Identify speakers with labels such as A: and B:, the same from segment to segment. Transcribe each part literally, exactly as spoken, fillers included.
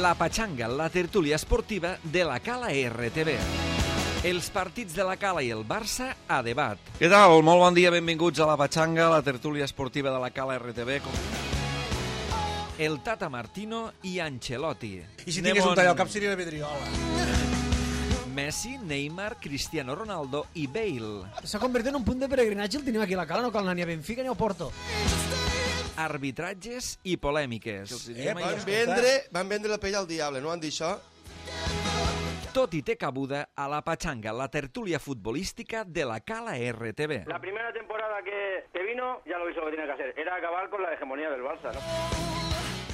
A: La Patxanga, la tertúlia esportiva de la Cala R T V. Els partits de la Cala i el Barça a debat. Què tal? Molt bon dia, benvinguts a la Patxanga, la tertúlia esportiva de la Cala R T V. El Tata Martino i Ancelotti.
B: I si tingués un tall al cap seria la Pedriola.
A: Messi, Neymar, Cristiano Ronaldo i Bale.
C: S'ha convertit en un punt de peregrinatge, el tenim aquí a la Cala, no cal anar ni a Benfica ni a Porto.
A: Arbitratges i polèmiques.
D: Eh, van, vendre, van vendre la pell al diable, no han dit això?
A: Tot i té cabuda a la Patxanga, la tertúlia futbolística de la Cala R T V.
E: La primera temporada que, que vino ya lo hizo lo que tenía que hacer, era acabar con la hegemonía del Barça, ¿no?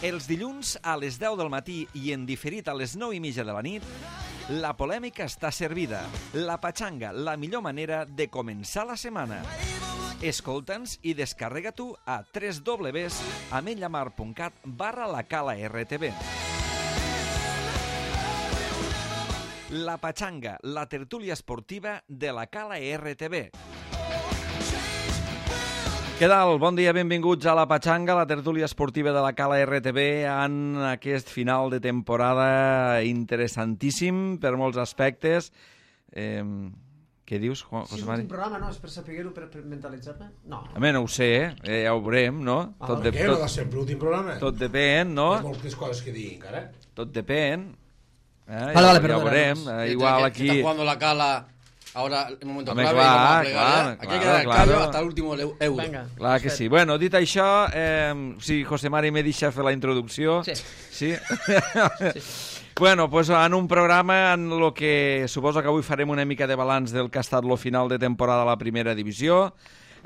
A: Els dilluns a les deu del matí i en diferit a les nou i mitja de la nit, la polèmica està servida. La Patxanga, la millor manera de començar la setmana. Escolta'ns i descarrega tu a w w w punt ametlllamar punt cat barra la Cala R T V. La Patxanga, la tertúlia esportiva de la Cala R T V. Què tal? Bon dia, benvinguts a la Patxanga, la tertúlia esportiva de la Cala R T V en aquest final de temporada interessantíssim per molts aspectes. Eh, què dius, José
C: Sí,
A: Mari?
C: l'últim programa, no? És per saber-ho, per, per mentalitzar-me? No.
A: Home, no ho sé, eh? Ja ho veurem, no?
C: Ah,
B: Per què? No de sempre l'últim programa?
A: Tot depèn, no?
B: Hi ha moltes coses que dir encara.
A: Tot depèn. Eh?
C: Vale,
A: ja,
C: vale,
A: ja
C: perdona.
A: ho veurem. Eh, igual aquí...
F: Está jugando la Cala ahora el momento
A: Hombre,
F: clave.
A: claro,
F: y vamos a plegar,
A: claro,
F: ¿eh? Aquí
A: claro,
F: hay que dar el
A: claro.
F: callo hasta el último euro.
C: Vinga.
A: Clar que sí. Bueno, dit això, eh, si José Mari me deixa fer la introducció...
C: Sí.
A: Sí? sí. Bueno, pues en un programa en lo que suposo que avui farem una mica de balanç del que ha estat lo final de temporada a la primera divisió,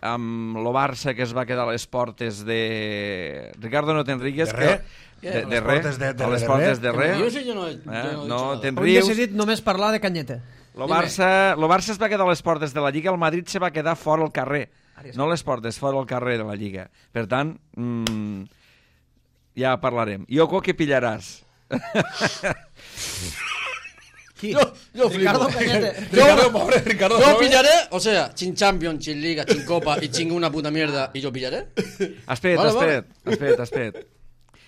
A: amb lo Barça que es va quedar a les portes de... Ricardo, no te'n rigues?
B: De res.
A: Que... De,
B: A les
A: de res.
B: portes de- de
A: A les
B: res,
A: portes
B: de
A: de res.
F: Yo sí, yo no, he- yo
A: Eh?
F: no he dicho
A: No,
F: nada.
A: te'n
C: Avui he
A: rius.
C: decidit només parlar de Canyeta.
A: Lo Barça, lo Barça es va quedar a les portes de la Lliga, el Madrid se va quedar fora al carrer. No a les portes, fora al carrer de la Lliga. Per tant, mmm, ja parlarem. Yoko, què pillaràs?
C: Qui?
F: Yo, yo
C: Ricardo
F: flipo.
C: Cañete.
B: Ricardo, pobre, Ricardo.
F: Yo
B: pobre.
F: pillaré, o sea, sin Champions, sin Liga, sin Copa y sin una puta mierda, y yo pillaré.
A: Espera't,
F: Vale,
A: espera't, espera't, espera't.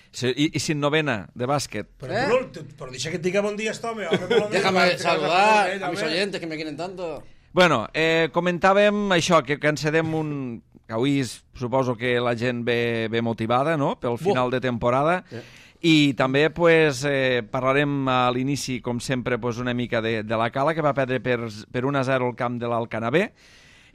A: Si, i, I sin novena de bàsquet.
B: Però,
F: ¿Eh?
B: tu no, tu- però deixa que et diga bon dia, este home. home, bon dia,
F: Déjame
B: home,
F: saludar
B: home,
F: a mis
B: home.
F: oyentes que me quieren tanto.
A: Bueno, eh, comentàvem això, que, que encedem un... que avui suposo que la gent ve, ve motivada, no?, pel final de temporada.
F: Sí.
A: I també pues, eh, parlarem a l'inici, com sempre, pues, una mica de, de la Cala, que va perdre per, per un a zero al camp de l'Alcanabé.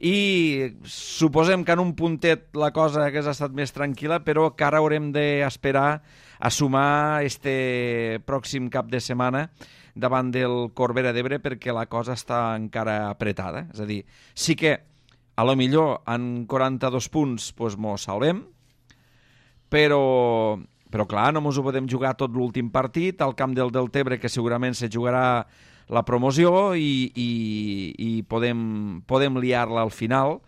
A: I suposem que en un puntet la cosa hagués estat més tranquil·la, però que ara haurem d'esperar a sumar este pròxim cap de setmana davant del Corbera d'Ebre, perquè la cosa està encara apretada. És a dir, sí que a lo millor en quaranta-dos punts pues, mos salvem, però, però clar, no mos ho podem jugar tot l'últim partit al camp del Deltebre, que segurament se jugarà la promoció i, i, i podem, podem liar-la al final.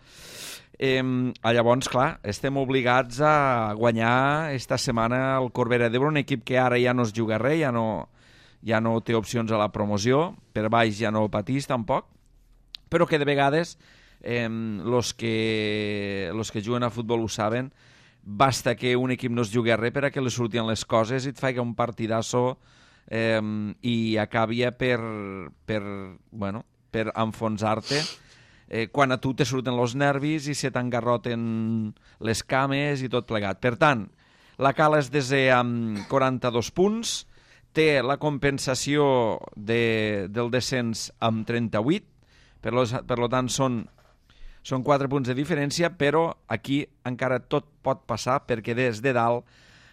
A: Eh, llavors, clar, estem obligats a guanyar esta setmana el Corbera d'Ebre, un equip que ara ja no es juga res, ja no, ja no té opcions a la promoció, per baix ja no patís tampoc, però que de vegades eh, los que, los que juguen a futbol ho saben, basta que un equip no es jugui a res per a que li surtin les coses i et faci un partidasso eh, i acabi per, per, bueno, per enfonsar-te eh, quan a tu te surten els nervis i se t'engarroten les cames i tot plegat. Per tant, la Cala és desè amb quaranta-dos punts, té la compensació de, del descens amb trenta-vuit, per, lo, per lo tant són, són quatre punts de diferència, però aquí encara tot pot passar perquè des de dalt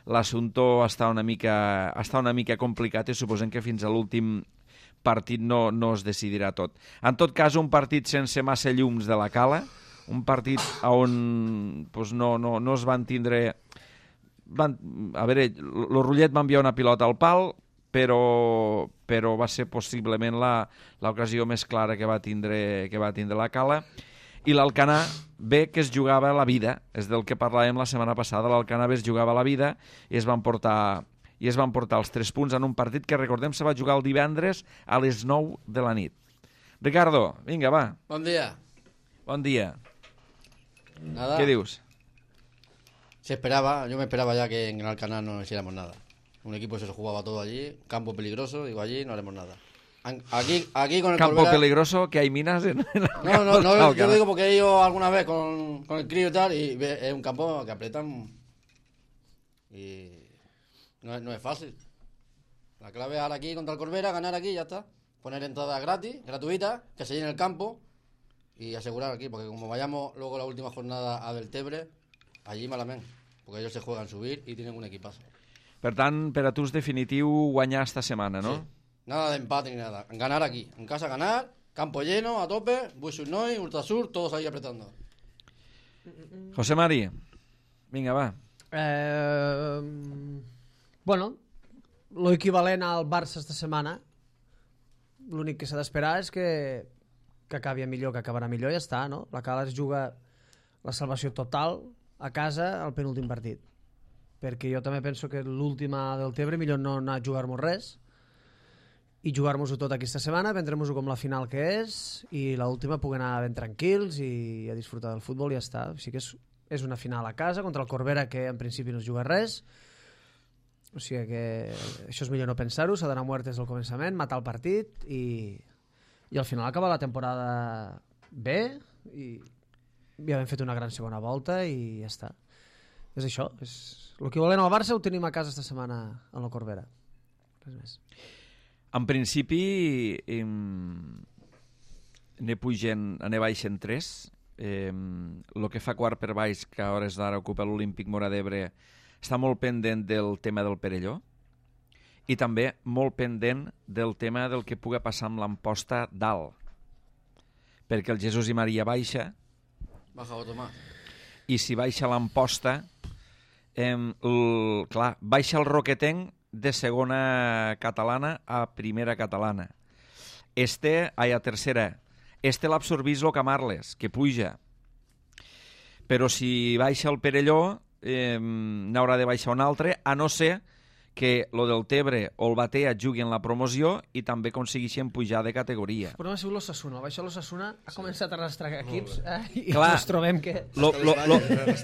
A: l'assumpte està una mica, està una mica complicat i suposem que fins a l'últim partit no, no es decidirà tot. En tot cas, un partit sense massa llums de la Cala, un partit on pues, no, no, no es van tindre... Van, a veure, el Rullet va enviar una pilota al pal, però, però va ser possiblement l'ocasió més clara que va tindre, que va tindre la Cala. I l'Alcanar B, que es jugava la vida, és del que parlàvem la setmana passada, l'Alcanar B es jugava la vida i es van portar i es van portar els tres punts en un partit que, recordem, se va jugar el divendres a les nou de la nit. Ricardo, vinga, va.
F: Buen día.
A: Bon dia.
F: Nada.
A: Què dius?
F: Se esperaba, yo me esperaba ya que en el Alcanar no hiciéramos nada. Un equipo que se jugaba todo allí, campo peligroso, digo, allí no haremos nada. Aquí, aquí con el
A: Campo
F: Corbera...
A: peligroso, que hay minas en... en
F: No, no, no, yo lo digo porque he ido alguna vez con, con el crío y tal, y ve- es un campo que apretan y no es, no es fácil. La clave es ahora aquí contra el Corbera, ganar aquí y ya está. Poner entradas gratis, gratuitas, que se llene el campo y asegurar aquí, porque como vayamos luego la última jornada a Deltebre, allí malamente, porque ellos se juegan subir y tienen un equipazo.
A: Per tant, per a tu és definitiu guanyar esta setmana, no?
F: Sí. Nada de empate ni nada. Ganar aquí. En casa ganar, campo lleno, a tope, Buixunoy, Ultrasur, todos ahí apretando.
A: José Mari, vinga, va.
C: Eh, bueno, lo equivalent al Barça esta setmana. L'únic que s'ha d'esperar és que, que acabi millor, que acabarà millor i ja està, no? La Cala es juga la salvació total a casa al penúltim partit. Perquè jo també penso que l'última del Tebre millor no anar a jugar-nos res i jugar-nos-ho tot aquesta setmana, prendre-nos-ho com la final que és i l'última puguem anar ben tranquils i a disfrutar del futbol i ja està. O sigui que és, és una final a casa contra el Corbera, que en principi no es juga res. O sigui que això és millor no pensar-ho, s'ha d'anar mort des del començament, matar el partit i, i al final acabar la temporada bé i ja hem fet una gran segona volta i ja està. És això, és l'equivalent al Barça ho tenim a casa esta setmana en la Corbera. Res més.
A: En principi, eh, ne pugen, ne baixen tres. Eh, el que fa quart per baix, que a hores d'ara ocupa l'Olímpic Móra d'Ebre, està molt pendent del tema del Perelló i també molt pendent del tema del que pugui passar amb l'Amposta dalt. Perquè el Jesús i Maria baixa
F: Baja otro más.
A: i si baixa l'Amposta, eh, el, clar, baixa el Roquetenc de segona catalana a primera catalana. Este, ai, a tercera. Este l'absorbís el Camarles, que puja. Però si baixa el Perelló, eh, n'haurà de baixar un altre, a no ser que lo del Tebre o el Batea juguin la promoció i també aconsegueixen pujar de categoria.
C: El problema ha sigut l'Ossassuna. El baixa l'Ossassuna ha començat a arrastrar equips eh? I
A: Clar.
C: ens trobem que...
A: Lo, lo, lo,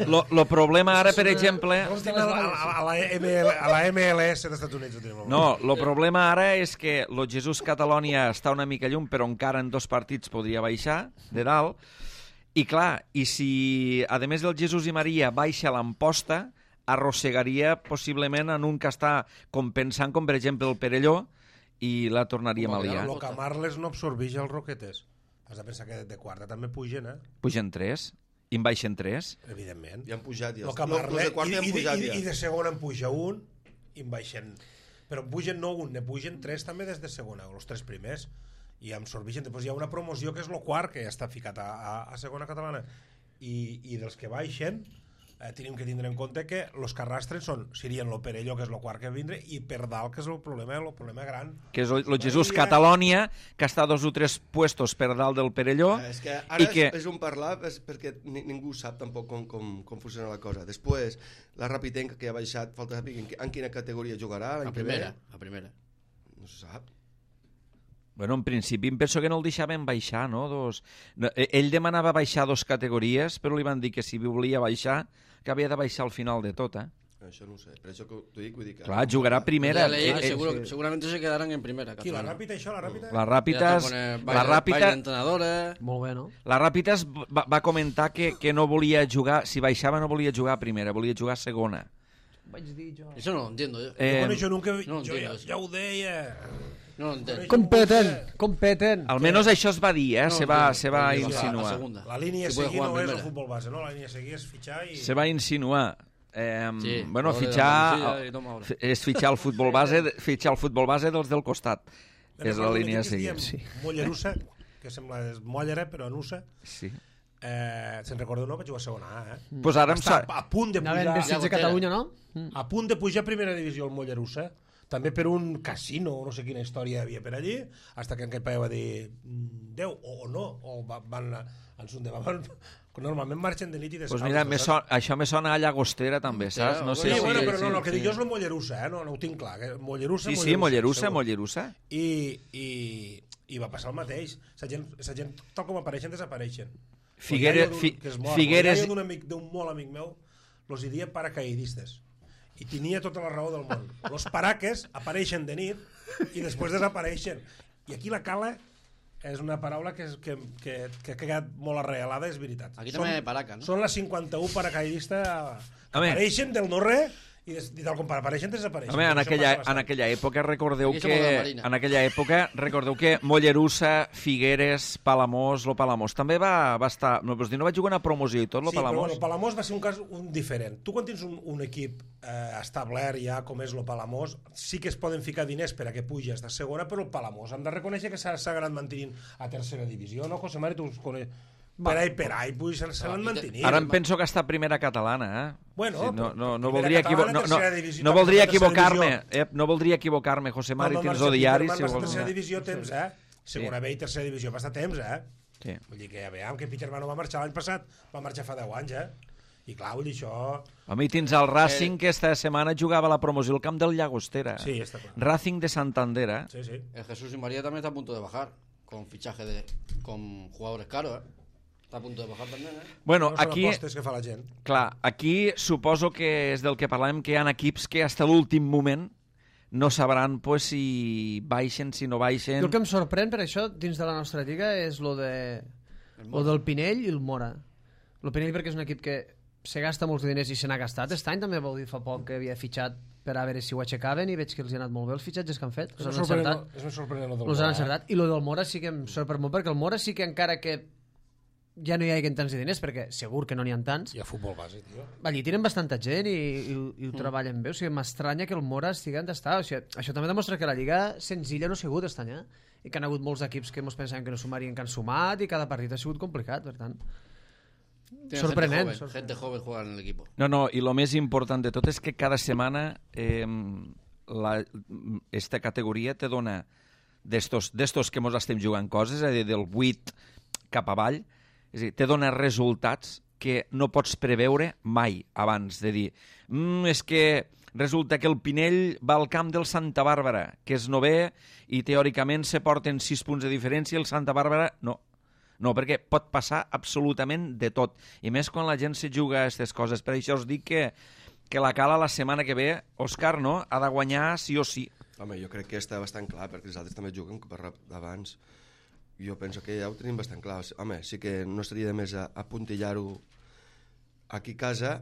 A: lo, lo problema ara, per exemple...
B: Nosaltres tenim a, a, a, la M L, a la M L S dels Estats Units. Ho tenim.
A: No, el problema ara és que lo Jesús Catalònia està una mica llum, però encara en dos partits podria baixar de dalt. I clar, i si, a més del Jesús i Maria, baixa l'Amposta, arrossegaria possiblement en un que està compensant, com per exemple el Perelló, i la tornaríem a liar.
B: El Camarles no absorbeix els Roquetes. Has de pensar que de quarta també pugen, eh?
A: Pugen tres, i en baixen tres.
B: Evidentment.
D: Ja han pujat, ja.
B: El
D: Els
B: Camarles,
D: de quarta
B: i,
D: han
B: i,
D: pujat,
B: i,
D: ja.
B: i de segona en puja un, i en baixen... Però en pugen no un, ne pugen tres també des de segona, els tres primers. I absorbeixen. Després hi ha una promoció que és el quart, que ja està ficat a, a, a segona catalana. I, i dels que baixen... Eh, tenim que tindre en compte que els que arrastren són, serien el Perelló, que és el quart que vindre, i per dalt, que és el problema, el problema gran.
A: Que és el Jesús Catalònia, que està dos o tres puestos per dalt del Perelló.
D: Eh, És que ara
A: i
D: és,
A: que...
D: és un parlar és perquè ni, ningú sap tampoc com, com, com funciona la cosa. Després, la Rapitenca, que ha baixat, falta saber en, en quina categoria jugarà l'any
F: A
D: que ve.
F: primera, a primera.
D: No se sap.
A: Bueno, en principi em penso que no el deixaven baixar, no? Dos... no ell demanava baixar dos categories, però li van dir que si volia baixar, que havia de baixar al final de tot, eh?
D: Això no ho sé, per això que t'ho dic, vull dir que...
A: Clar, jugarà primera.
F: Ya leí que
A: Eh,
F: seguro,
A: eh,
F: seguramente se quedarán en primera.
B: Qui, la
F: catalana.
B: Ràpita, això, la Ràpita?
A: La
F: Ya
A: Ràpitas,
F: está con el
A: la
F: baile- baile
A: Ràpita,
F: de entrenadores.
C: Molt bé, no?
A: la Ràpitas va, va comentar que, que no volia jugar, si baixava no volia jugar a primera, volia jugar a segona.
C: Vaig dir jo.
F: Eso no lo entiendo yo.
A: Eh,
B: Bueno, jo nunca...
F: no
B: jo
F: entiendo
B: ja,
F: eso.
B: ja ho deia.
F: No lo entiendo.
C: Competen, competen.
A: almenys això es va dir, eh?
F: No,
A: se va,
F: entiendo.
A: se va
F: Porque baja a
A: insinuar.
F: segunda.
B: La línia a
F: Que puede
B: seguir
F: jugar
B: no
F: en
B: és el
F: primera.
B: futbol base, no? La línia a seguir és fitxar i...
A: Se va insinuar. Eh,
F: Sí,
A: bueno,
F: ahora de
A: fitxar
F: Andalucía y toma ahora.
A: f- és fitxar el futbol base, fitxar el futbol base dels del costat.
B: Me'n
A: És la
B: recordo un
A: línia a
B: equip que es
A: seguir.
B: diem
A: Sí.
B: Mollerussa, que sembla és Mollera, però en USA.
A: Sí.
B: Eh, se'n recorda no? Va jugar a segona A, eh?
A: Pues ara em
B: Està
A: sa...
B: a punt de
C: Anaven
B: pujar...
C: vestits de Catalunya, no?
B: A punt de pujar a primera divisió el Mollerussa, també per un casino, no sé quina història hi havia per allí, hasta que en aquell paio va dir "Mm, Déu, o, o no, o va, van en son de van, normalment marxen de nit i de
A: Pues mira, me son, això me sona a Llagostera també, saps? No sé
B: Sí,
A: si...
B: bueno, però no,
A: sí,
B: no, el que
A: sí.
B: dic jo és el Mollerussa, eh? no, no ho tinc clar. Que Mollerussa,
A: Sí, sí, Mollerussa,
B: segur.
A: Mollerussa.
B: I, i, i va passar el mateix. La gent, la gent tal com apareixen, desapareixen.
A: Figueres-
B: El iaio d'un-
A: Fi-
B: que és mort,
A: Figueres-
B: el iaio d'un amic, d'un molt amic meu, los hi dia paracaidistes. I tenia tota la raó del món. Los paraques apareixen de nit i després desapareixen. I aquí la cala és una paraula que, és, que, que, que ha quedat molt arreglada, és veritat.
F: Aquí també hi ha paraca, no?
B: Són les cinquanta-u paracaidistes que
A: Home.
B: apareixen del no-res i, des, i tal com apareixen desapareixen.
A: Home, en
B: Això
A: aquella,
B: passa
A: en aquella època recordeu
F: Aquí som
A: que
F: de la Marina.
A: en aquella època recordeu que Mollerussa, Figueres, Palamós, lo Palamós també va, va estar, no, dir, no va jugar una promoció i tot lo
B: Sí, però
A: Palamós.
B: bueno, el Palamós va ser un cas un diferent. Tu quan tens un, un equip eh, establert ja com és el Palamós, sí que es poden ficar diners per a que puges de segona, però el Palamós hem de reconèixer que s'ha anat mantenint a tercera divisió, no, José Mari? Tu els coneix... Per ahí, per ahí, pues, se l'han mantenint.
A: Ara em penso que està a primera catalana, eh?
B: Bueno,
A: sí, no, no, no
B: primera
A: voldria, equivo
B: catalana,
A: no, no,
B: tercera divisió,
A: no
B: també
A: voldria
B: tercera
A: equivocar-me,
B: divisió.
A: eh? No voldria equivocar-me, José Mari,
B: Quan va
A: tens
B: marxar
A: el diari.
B: Peterman,
A: Si
B: va ser
A: vols...
B: tercera divisió temps, eh? Segona
A: Sí.
B: B i tercera divisió, va estar temps, eh?
A: Sí.
B: Vull dir que ja veiem que Peterman no va marxar l'any passat, va marxar fa deu anys, eh? I clar, vull dir això...
A: Home, i tens el Racing, que esta setmana jugava a la promoció al camp del Llagostera.
B: Sí, està clar.
A: Racing de Santander, eh?
B: Sí, sí.
F: El Jesús y María también está a punto de bajar, con fichaje de... con jugadores caros, ¿eh? Está a punto de bajar también, ¿eh?
A: Bueno,
B: No són
A: aquí...
B: apostes que fa la gent.
A: Clar, aquí suposo que és del que parlàvem, que hi ha equips que fins a l'últim moment no sabran pues, si baixen, si no baixen...
C: El que em sorprèn per això dins de la nostra lliga és lo, de, lo del Pinell i el Mora. El Pinell perquè és un equip que se gasta molts diners i se n'ha gastat. Aquest any també vau dir fa poc que havia fitxat per a veure si ho aixecaven i veig que els hi ha anat molt bé els fitxatges que han fet.
B: És
C: Els
B: més
C: han
B: sorprenent,
C: encertat.
B: és més sorprenent el del
C: Els han
B: Mora, eh?
C: encertat. I lo del Mora sí que em sorprèn molt perquè el Mora sí que encara que ja no hi hagi tants de diners, perquè segur que no n'hi ha tants,
B: Hi ha futbol base, tio.
C: allí tenen bastanta gent i, i, i ho treballen bé, o sigui, m'estranya que el Mora estigui on està, o sigui, això també demostra que la Lliga senzilla no ha sigut aquest any, eh? I que han hagut molts equips que ens pensàvem que no sumarien, que han sumat, i cada partit ha sigut complicat, per tant...
F: Tiene
C: Sorprenent,
F: Gente joven,
C: sorprenent.
F: gente joven juega en el equipo.
A: No, no, i el més important de tot és que cada setmana eh, la, esta categoria te dona d'estos d'estos que mos estem jugant coses, és a dir, del vuit cap avall, és a dir, te dona resultats que no pots preveure mai abans de dir mm, és que resulta que el Pinell va al camp del Santa Bàrbara, que és novè i teòricament se porten sis punts de diferència i el Santa Bàrbara no. No, perquè pot passar absolutament de tot. I més quan la gent se juga a aquestes coses. Per això us dic que, que la Cala la setmana que ve, Òscar, no? Ha de guanyar sí o sí.
D: Home, jo crec que està bastant clar, perquè els altres també juguen per abans. Jo penso que ja ho tenim bastant clar. Home, sí que no estaria de més a, a puntillar-ho aquí a casa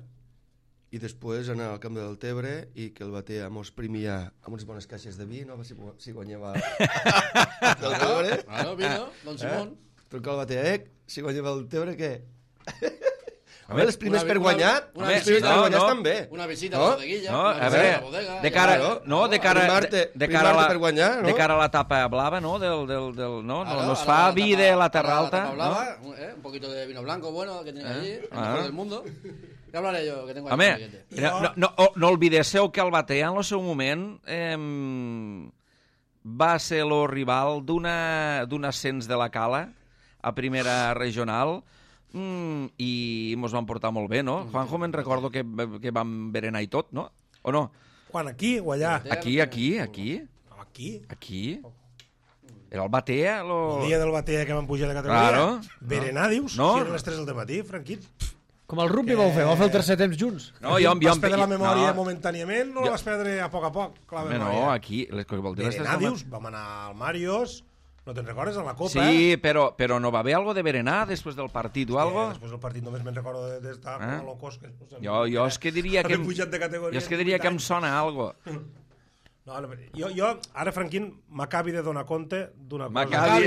D: i després anar al camp del Tebre i que el Batea mos primia amb unes bones caixes de vi, no? Si, si guanyava el Tebre.
F: Claro, vino, don Simón.
D: Eh? Trucar al Batea, eh? Si guanyava el Tebre, què?
A: A
D: Home, els primers
F: una-
D: per
F: una-
D: guanyar,
F: una
D: els primers
F: visita,
D: per guanyar
A: no,
D: estan bé.
F: Una visita
D: No?
F: a la bodeguilla.
A: No,
F: una
A: a
F: visita
A: veure,
F: la bodega,
A: de cara,
F: ja-
A: no, de cara,
D: Primar-te-
A: de, de cara a la,
D: primar-te per guanyar, no?
A: de cara a la tapa blava, no? Del, del, del, no, no,
F: Claro,
A: nos
F: ahora
A: fa
F: la
A: vi
F: tapa-
A: de la Terra
F: ahora
A: Alta,
F: tapa
A: no?
F: blava, un- eh, un poquito de vino blanco bueno que tienen allí, el
A: Ah.
F: mejor del mundo. Ya hablaré yo, que tengo ahí
A: Home,
F: un billete.
A: no, no, no, oh, no oblidéssiu que el Batea en el seu moment eh, va ser el rival d'una d'un ascens de la Cala a primera regional mm, i mos van portar molt bé, no? Juanjo, me'n recordo que, que vam berenar i tot, no? O no?
B: Quan, aquí o allà?
A: Aquí, aquí, aquí,
B: No, aquí.
A: aquí. Era el Batea, lo...
B: El dia del Batea que van pujar de categoria.
A: Claro.
B: Berenar, dius?
A: No.
B: Si eren les tres del matí, Franquit.
C: Com el rugby vau fer, vau fer el tercer temps junts.
A: No, jo, jo,
B: Vas perdre la memòria
A: no,
B: momentàniament o
A: Jo-
B: la vas perdre a poc a poc? La
A: home,
B: memòria.
A: no, aquí... Les coses vol dir, les
B: Berenar,
A: tres del
B: dius? Vam anar al Màrios, no te'n recordes, a la Copa?
A: Sí, però, però no va haver algo de berenar després del partit o algo?
B: Eh, després del partit només me'n recordo d'estar
A: Eh?
B: com a locos. Que no sé,
A: Jo, jo és que diria que...
B: Haver pujat de categoria
A: Jo és que
B: en
A: diria
B: divuit
A: que em
B: anys.
A: sona algo.
B: No, no, jo, jo, ara, Franquín, m'acabi de donar compte d'una cosa.
A: M'acabi.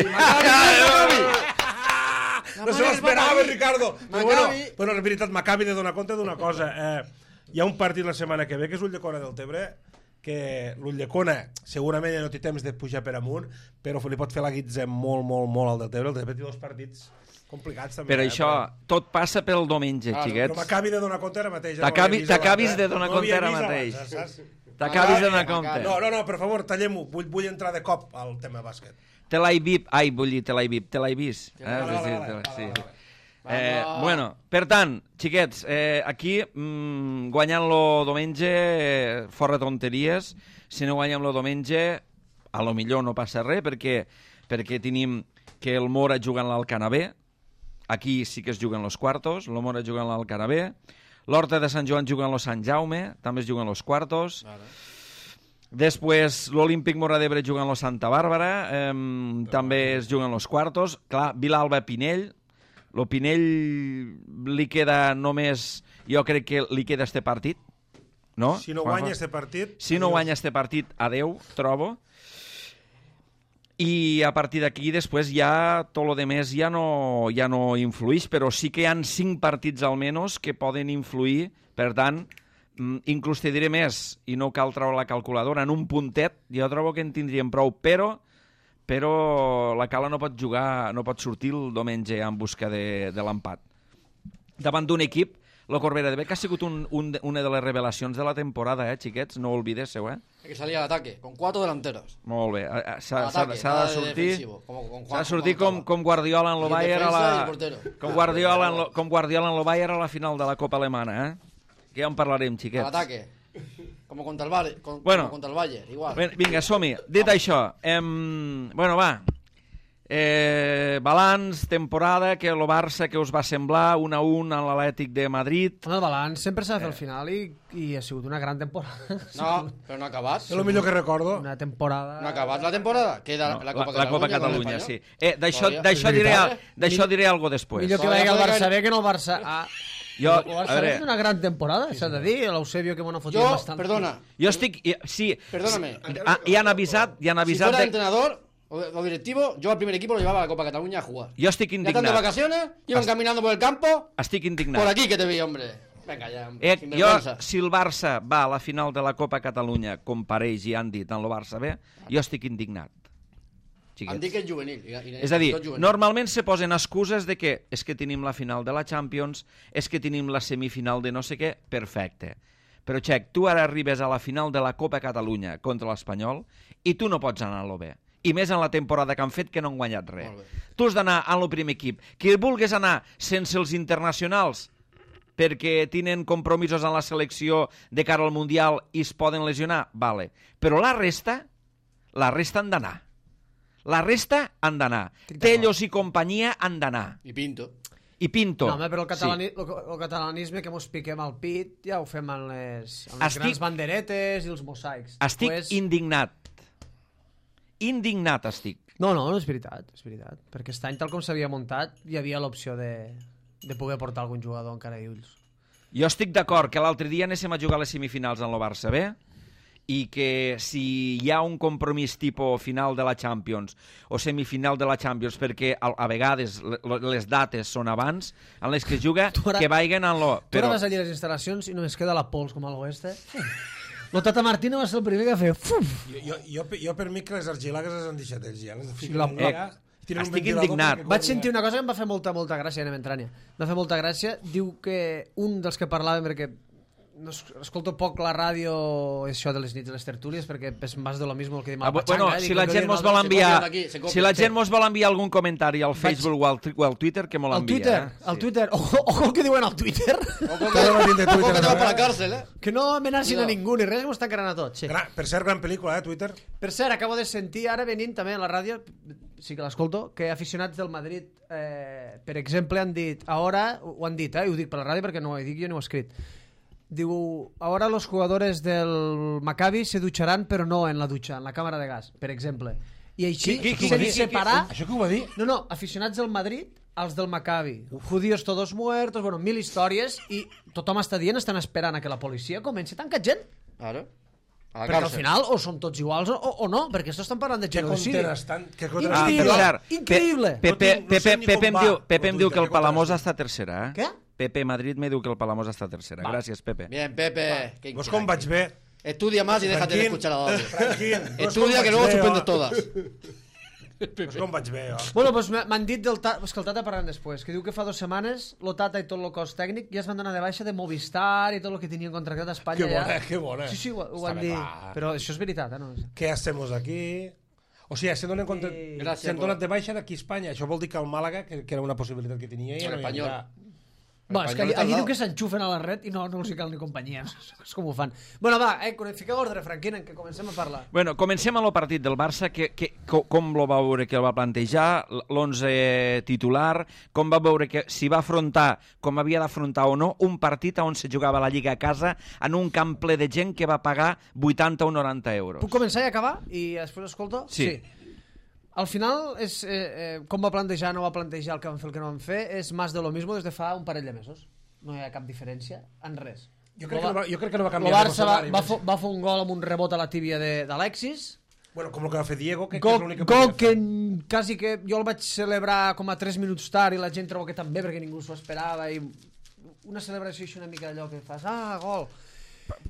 B: No se l'esperava, Ricardo. Però bueno,
F: Maccabi.
B: bueno, en veritat, m'acabi de donar compte d'una cosa. Eh, hi ha un partit la setmana que ve, que és l'Ulldecona del Tebre, que l'Ulldecona segurament ja no té temps de pujar per amunt, però li pot fer la guitza molt, molt, molt al del Tebre. El Tebre té dos partits complicats també.
A: Per
B: eh,
A: això, tot passa pel diumenge,
B: Però, però
A: xiquets.
B: m'acabi de donar compte ara mateix. ja no
A: T'acabi-
B: l'havia vist
A: t'acabis
B: abans,
A: de
B: eh?
A: donar
B: No
A: compte
B: l'havia
A: ara
B: vist
A: mateix.
B: abans, saps?
A: T'acabis de donar
F: Maccabi.
A: compte.
B: No, no, no, per favor, tallem-ho. Vull, vull entrar de cop al tema bàsquet.
A: Te l'he vist... Ai, vull dir, te l'he vist. Te l'he vist. Eh?
B: Vale, vale,
A: Sí,
B: vale,
A: te-
B: vale,
A: sí.
B: vale, vale.
A: Eh,
F: Vamos.
A: bueno, per tant, xiquets, eh, aquí mm, guanyant-lo diumenge, eh, fora tonteries, si no guanyem-lo diumenge, a lo millor no passa res, perquè, perquè tenim que el Mora juga en l'Alcanabé, aquí sí que es juguen los quartos, el Mora juga en l'Alcanabé, l'Horta de Sant Joan juguen los Sant Jaume, també es juguen los quartos. Després l'Olímpic Móra d'Ebre juguen los Santa Bàrbara, eh, també es juguen los quartos. Clar, Vilalba Pinell, lo Pinell li queda només, jo crec que li queda este partit, no?
B: Si no guanya este partit...
A: Si no guanya este partit, adeu, trobo. I a partir d'aquí després ja tot lo demés ja no, ja no influïx, però sí que hi han cinc partits almenys que poden influir, per tant, inclús te diré més, i no cal treure la calculadora, en un puntet jo trobo que en tindríem prou, però però la Cala no pot jugar, no pot sortir el diumenge en busca de, de l'empat. Davant d'un equip, la Corbera de Bec ha sigut un, un, una de les revelacions de la temporada, eh, xiquets? No ho olvidéssiu, eh?
F: Hay que salir al ataque, con cuatro delanteros.
A: Molt bé. S'ha
F: Ataque,
A: de
F: nada de
A: sortir,
F: defensivo, como con
A: s'ha
F: Juan-
A: de sortir
F: como
A: com, com Guardiola en lo
F: Y el
A: Bayern a
F: defensa y
A: la...
F: el portero.
A: Com Guardiola, en lo, com Guardiola en lo Bayern a la final de la Copa Alemana, eh? Que ja en parlarem,
F: Al
A: xiquets.
F: ataque. Como contra el Bayern, con-
A: Bueno.
F: como contra el Bayern, igual.
A: Bé, vinga, som-hi. Dit això, em... bueno, va, eh, balanç, temporada, que el Barça que us va semblar, un a un a l'Atlètic de Madrid.
C: El balanç sempre s'ha de fer al final i, i ha sigut una gran temporada.
F: No, pero no ha acabado.
B: És el millor que recordo.
C: Una temporada...
F: No ha acabado la temporada. Queda
A: No,
F: la Copa
A: la,
F: Catalunya.
A: la Copa
F: con el
A: Catalunya,
F: Espanyol.
A: sí. Eh, d'això
F: Todavía.
A: d'això
B: És
A: diré,
B: veritat,
A: al- d'això diré algo després.
C: Millor que
F: Todavía
C: vagi al
F: puede
C: Barça
F: caer-
C: B que no el Barça A.
A: Jo,
C: el
A: a
C: Barça B
A: veure,
C: és una gran temporada, s'ha de dir. L'Eusebio que m'ho ha fotut
F: Yo,
C: bastant.
F: perdona,
A: jo estic... i- Sí,
F: Perdóname.
A: ah, i han avisat, i han
F: si
A: avisat...
F: fuera
A: de-
F: entrenador o, o directivo, yo al primer equipo lo llevaba a la Copa Cataluña a jugar.
A: Jo estic
F: Ya están de
A: indignat.
F: vacaciones, iban caminando por el campo.
A: Estic
F: Por
A: indignat.
F: aquí que te vi, hombre. Venga ya,
A: Eh,
F: sin
A: jo,
F: vergüenza.
A: si el Barça va a la final de la Copa Catalunya, com pareix i han dit en el Barça B, jo estic indignat. Xiquets.
F: Han dit que és juvenil. I, i,
A: És a dir,
F: tot juvenil.
A: normalment se posen excuses de que és que tenim la final de la Champions, és que tenim la semifinal de no sé què, perfecte. Però, Xec, tu ara arribes a la final de la Copa Catalunya contra l'Espanyol i tu no pots anar a l'O B. I més en la temporada que han fet que no han guanyat res.
F: Molt bé.
A: Tu has d'anar al primer equip. Que vulgues anar sense els internacionals perquè tenen compromisos en la selecció de cara al Mundial i es poden lesionar, vale. Però la resta, la resta han d'anar. La resta han d'anar. Tellos i companyia han d'anar.
F: I Pinto.
A: I Pinto.
C: No, home, però el, catalani
A: Sí.
C: el, el catalanisme que mos piquem al pit ja ho fem en les, en les
A: Estic-
C: grans banderetes i els mosaics.
A: Estic
C: Després-
A: indignat. Indignat estic.
C: No, no, és veritat, és veritat. Perquè aquest any, tal com s'havia muntat, hi havia l'opció de, de poder portar algun jugador encara i ulls.
A: Jo estic d'acord que l'altre dia anéssim a jugar a les semifinals en el Barça B i que si hi ha un compromís tipus final de la Champions o semifinal de la Champions, perquè a, a vegades le- les dates són abans en les que es juga,
C: Tu ara-
A: que vagin en lo...
C: Tu ara
A: Però
C: vas allà a les instal·lacions i només queda la pols com a l'oest, eh? El Tata Martino va ser el primer que va fer... Fuf!
B: Jo, jo, jo, jo per mi que les argilagues les han deixat ells ja. Les
C: Sí, la-
B: allà, tenen un
A: estic
B: ventilador
A: indignat.
B: perquè
C: Vaig
B: corri
C: sentir
B: allà.
C: una cosa que em va fer molta, molta gràcia, anem entrant ja. Em va fer molta gràcia. Diu que un dels que parlàvem, perquè no es- escolto poc la ràdio, això de les nits de les tertúlies, perquè és més de lo mismo el que diu
A: Ah,
C: el
A: bu-
C: Pachanga.
A: bueno,
C: eh?
A: si
C: Dic,
A: la
C: el que
A: gent
C: diuen
A: mos
C: els
A: vol
C: altres.
A: enviar,
F: copian aquí, se copian.
A: si la
F: Sí.
A: gent mos vol enviar algun comentari al Facebook o al, o al Twitter, que me
C: Al
A: l'envia.
C: Twitter,
A: eh?
C: al
A: Sí.
C: Twitter. Ojo, ojo el que diuen al Twitter.
F: Ojo
B: Cada matí de
F: que, ojo
B: Twitter,
F: que te vas
B: ¿no?
F: para la cárcel, eh.
C: Que no amenacin a
F: Cuidado.
C: ningú, ni res, que m'ho estan carregant a tots. Sí.
B: Gran, per cert, gran pel·lícula, eh, Twitter.
C: Per cert, acabo de sentir ara venint també a la ràdio, sí que l'escolto, que aficionats del Madrid, eh, per exemple, han dit, ahora, ho han dit, eh, i ho dic per la ràdio perquè no ho dic jo ni ho he escrit, diu, ahora los jugadores del Maccabi se ducharán pero no en la ducha, en la càmera de gas, per exemple. I així,
B: Qui- qui- qui ho va dir?
C: sense parar...
B: Això que ho va dir?
C: No, no, aficionats del Madrid, els del Maccabi. Judíos todos muertos, bueno, mil històries, i tothom està dient, estan esperant a que la policia comenci a tancar gent.
F: Claro. A la
C: Perquè al
F: cárcel.
C: final o són tots iguals o, o no, perquè esto estan parlant de
B: Que
C: genocidi.
B: content estan... Que content
A: Ah, per
C: Increïble.
A: cert,
C: Increïble.
A: Pe- Pepe,
B: No tinc- no sé
A: Pepe,
B: ni
A: Pepe,
B: com
A: em
B: va
A: diu, Pepe
B: el
A: em diu que el
B: Twitter,
A: Palamós
B: que
A: està tercera, eh?
C: Què?
A: Pepe Madrid me diu que el Palamós està tercera. Gràcies, Pepe.
F: Bien, Pepe. qué
B: Vos com vaig bé?
F: Estudia más y déjate de
B: Franquín,
F: escuchar a la radio.
B: Franquín, vos com
F: Estudia
B: vaig
F: que luego
B: bé,
F: suspendes
B: jo?
F: todas.
B: Vos com vaig bé, jo?
C: Bueno, doncs m'han dit del Tata, és que el Tata parlant després, que diu que fa dues setmanes lo Tata i tot el cos tècnic ja es van donar de baixa de Movistar i tot el que tenien contractat a Espanya.
B: Que bona,
C: ja.
B: que bona.
C: Sí, sí, ho, ho
B: Està
C: van
B: bé,
C: dir.
B: clar.
C: Però això és veritat, eh? No?
B: Què hacemos aquí? O sigui, se donen compte...
C: Sí.
F: Gràcies
B: S'han
F: por-
B: donat de baixa d'aquí a Espanya. Això vol dir que el Màlaga, que, que era una possibilitat que tenia, ja
F: El
B: no hi
F: Espanyol.
B: anirà.
C: Bueno, és que allí, allí diu que s'enxufen a la red i no, no els hi cal ni companyia. És com ho fan. Bueno, va, eh, fiqueu ordre, Franquinen, que comencem a parlar.
A: Bueno, comencem amb el partit del Barça, que, que, com lo va veure que el va plantejar, l'onze titular, com va veure que si va afrontar, com havia d'afrontar o no, un partit on se jugava la Lliga a casa en un camp ple de gent que va pagar vuitanta o noranta euros.
C: Puc començar i acabar? I després escolto?
A: Sí. sí.
C: Al final, és, eh, eh, com va plantejar, no va plantejar el que van fer, el que no van fer, és més de lo mismo des de fa un parell de mesos. No hi ha cap diferència en res.
B: Jo crec, que no va, jo crec que no va canviar.
C: El Barça va, va, fo, va fer un gol amb un rebot a la tíbia d'Alexis.
B: Bueno, com el que va fer Diego, que,
C: gol,
B: que és l'únic que
C: gol
B: podia fer.
C: que quasi que jo el vaig celebrar com a tres minuts tard i la gent trobo que també, perquè ningú s'ho esperava, i una celebració així una mica d'allò que fas, ah, gol.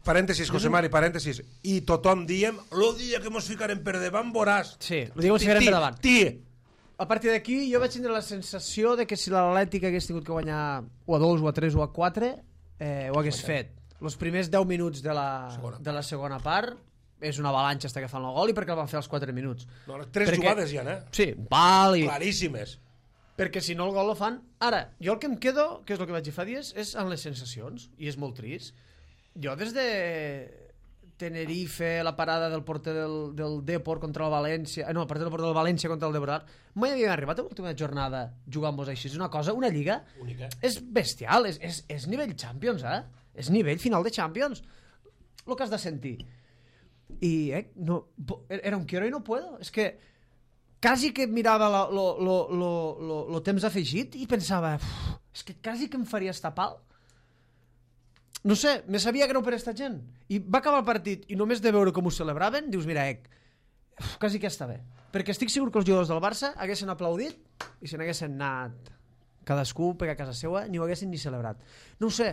B: Parèntesis, José Mari, parèntesis. I tothom diem, lo dia que mos ficarem per davant, veuràs.
C: Sí, lo dia que mos ficarem per davant.
B: Tí,
C: A partir d'aquí jo vaig tindre la sensació de que si l'Atlètic hagués tingut que guanyar o a dos, o a tres, o a quatre, eh, ho hagués fet. Els primers deu minuts de la, de la segona part és una avalanxa hasta que fan el gol i perquè el van fer als quatre minuts.
B: No, tres
C: perquè,
B: jugades ja, eh?
C: Sí, val i...
B: Claríssimes.
C: Perquè si no el gol lo fan... Ara, jo el que em quedo, que és el que vaig dir fa dies, és en les sensacions, i és molt trist. Jo des de Tenerife, la parada del porter del, del Depor contra el València, no, el porter del porter del València contra el Depor, mai havia arribat a l'última jornada jugant-vos així. És una cosa, una lliga
B: única.
C: És bestial, és, és, és nivell Champions, eh? És nivell final de Champions. El que has de sentir. I, eh, no, era un quiero i no puedo. És que quasi que mirava el temps afegit i pensava, és que quasi que em faria estapal. No sé, me sabia greu per esta gent. I va acabar el partit i només de veure com ho celebraven, dius, mira, ec, uf, quasi que està bé. Perquè estic segur que els jugadors del Barça haguessin aplaudit i se n'haguessin anat cadascú per a casa seva, ni ho haguessin ni celebrat. No ho sé.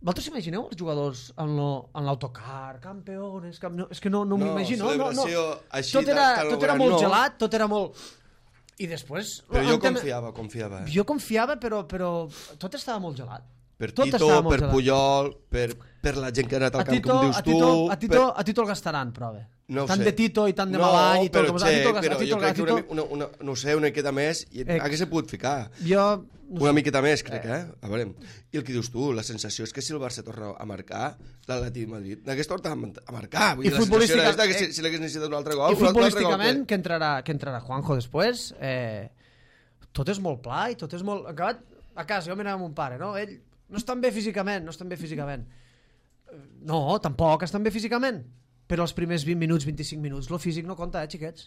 C: Vosaltres imagineu els jugadors en l'autocar, campeones... Camp... No, és que no, no, no m'imagino. No, no, no.
D: Així,
C: tot era, tot era molt
D: no.
C: gelat, tot era molt... I després...
D: Però jo confiava, confiava. Eh?
C: Jo confiava, però, però tot estava molt gelat.
D: Per Tito, per Puyol, per, per la gent que ha anat al camp,
C: Tito,
D: com dius
C: a Tito,
D: tu...
C: A Tito,
D: per...
C: a Tito el gastaran, prova.
D: No
C: tant
D: sé.
C: de Tito i tant de
D: no,
C: Malany i tot.
D: Però,
C: Com
D: che,
C: a Tito,
D: però
C: a Tito,
D: jo crec
C: a Tito...
D: que una, una, una, no sé, una miqueta més i
C: eh,
D: hagués pogut ficar.
C: Jo... No
D: una
C: sé.
D: miqueta més, crec, eh? A veure. I el que dius tu, la sensació és que si el Barça torna a marcar, l'Atlètic de Madrid n'hagués tornat a marcar. Vull dir, la sensació era que si, si l'hagués necessitat un altre gol...
C: I futbolísticament, que entrarà, que entrarà Juanjo després, eh, tot és molt pla i tot és molt... Acabat a casa, jo mirava amb un pare, no? Ell no estan bé físicament, no estan bé físicament. No, tampoc estan bé físicament. Però els primers vint minuts, vint-i-cinc minuts, lo físic no compta, eh, xiquets?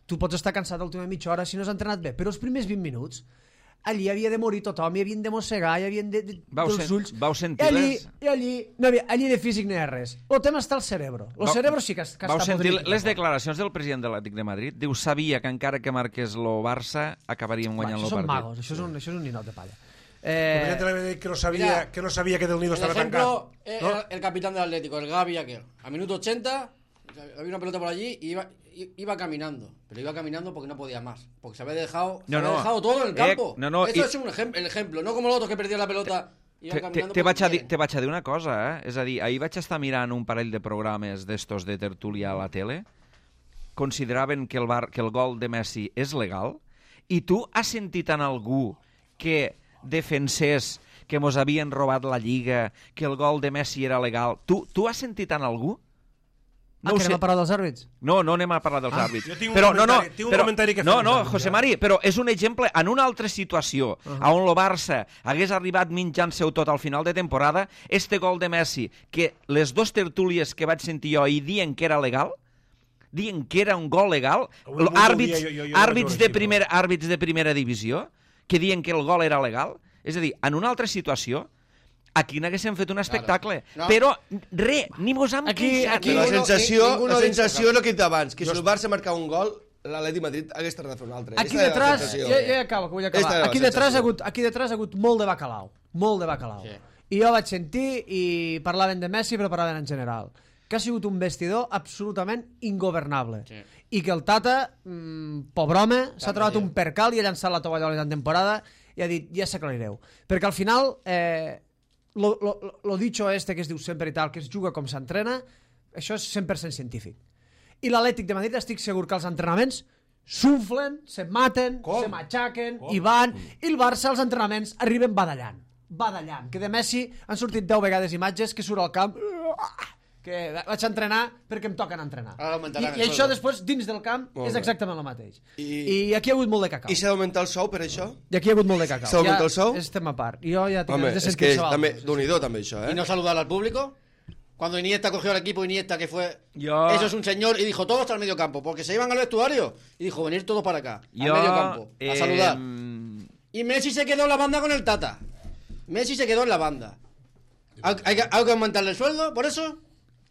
C: Tu pots estar cansat l'última mitja hora si no has entrenat bé, però els primers vint minuts allí havia de morir tothom, hi havien de mossegar, hi havien de, de,
A: vau
C: dels
A: sen,
C: ulls.
A: Vau sentir
C: I allí,
A: les...
C: i allí, no havia, allí de físic no hi ha res. El tema està al cerebro. El cerebro sí que, que
A: vau
C: està
A: sentir
C: podrit.
A: les declaracions del president de l'Atlètic de Madrid? Diu, sabia que encara que marqués lo Barça acabaríem guanyant
C: Va,
A: el
C: això
A: partit.
C: són magos, això és un, això és un ninot de palla.
B: Eh, que, no sabía,
F: mira,
B: que no sabía que Del Nido
F: el
B: estaba
F: ejemplo,
B: tancado.
F: el,
B: ¿No?
F: el capitán del Atlético, el Gavi aquel. A minuto ochenta, había una pelota por allí y iba, iba caminando. Pero iba caminando porque no podía más. Porque se había dejado, se
A: no,
F: había
A: no.
F: dejado todo en el campo.
A: Eh, no, no,
F: Eso
A: i...
F: es un ejem el ejemplo. No como los otros que perdían la pelota.
A: Te, te, te, vaig a dir, te vaig a dir una cosa, eh? És a dir, ahir vaig estar mirant un parell de programes d'estos de tertúlia a la tele, consideraven que el, bar, que el gol de Messi és legal, i tu has sentit en algú que defensés que mos havien robat la Lliga, que el gol de Messi era legal. Tu, tu has sentit en algú?
C: No ah, que anem a parlar dels àrbits?
A: No, no anem a parlar dels
B: ah,
A: àrbits.
B: Jo tinc un
A: però,
B: comentari,
A: no, no,
B: tinc un
A: però,
B: comentari que fer.
A: No, no, José Mari, però és un exemple en una altra situació, uh -huh. on el Barça hagués arribat mitjant-seu tot al final de temporada, este gol de Messi, que les dos tertúlies que vaig sentir jo i dient que era legal, dient que era un gol legal, àrbits, jo, jo, jo àrbits, de primera, àrbits de primera divisió, que dient que el gol era legal, és a dir, en una altra situació, aquí n'haguéssim fet un espectacle. Claro. No. Però, res, ni mos hem
C: aquí,
A: queixat.
C: aquí,
D: Però la sensació, la sensació és el que he dit abans, que
B: jo
D: si el Barça marcava un gol, l'Atlètic Madrid hagués tardat a fer un altre.
C: Aquí detrás, ja, ja acabo, que vull acabar. Aquí detrás, ha hagut, aquí detrás ha hagut molt de bacalao. Molt de bacalao. Sí. I jo vaig sentir i parlaven de Messi, però parlaven en general. Que ha sigut un vestidor absolutament ingovernable. Sí. I que el Tata, mmm, pobre home, s'ha trobat un percal i ha llançat la tovallola en temporada i ha dit, ja s'aclarireu. Perquè al final, eh, lo, lo, lo dicho este que es diu sempre i tal, que es juga com s'entrena, això és cent per cent científic. I l'Atlètic de Madrid estic segur que els entrenaments s'unflen, se maten, com? se matxaquen, com? i van, i el Barça als entrenaments arriben badallant. badallant. Que de Messi han sortit deu vegades imatges que surt al camp que vaig a entrenar perquè em toquen entrenar. I, i això després, dins del camp, és exactament el mateix. I, I aquí hi ha hagut molt de cacau.
D: I s'ha d'augmentar el sou per això?
C: I aquí hi ha hagut molt de cacau.
D: S'ha d'augmentar el sou?
C: Ja estem a part. Jo ja tinc
D: Home,
C: de
D: és que és també, d'un-i-do també això, ¿eh?
F: ¿Y no saludar al público? Cuando Iniesta cogió al equipo, Iniesta que fue...
A: Yo...
F: Eso es un señor, y dijo, todos al medio campo, porque se iban al vestuario. Y dijo, venir todos para acá,
A: Yo,
F: al medio campo, a
A: eh...
F: saludar. Y Messi se quedó en la banda con el Tata. Messi se quedó en la banda. ¿Hay, hay, hay que aumentarle el sueldo por eso?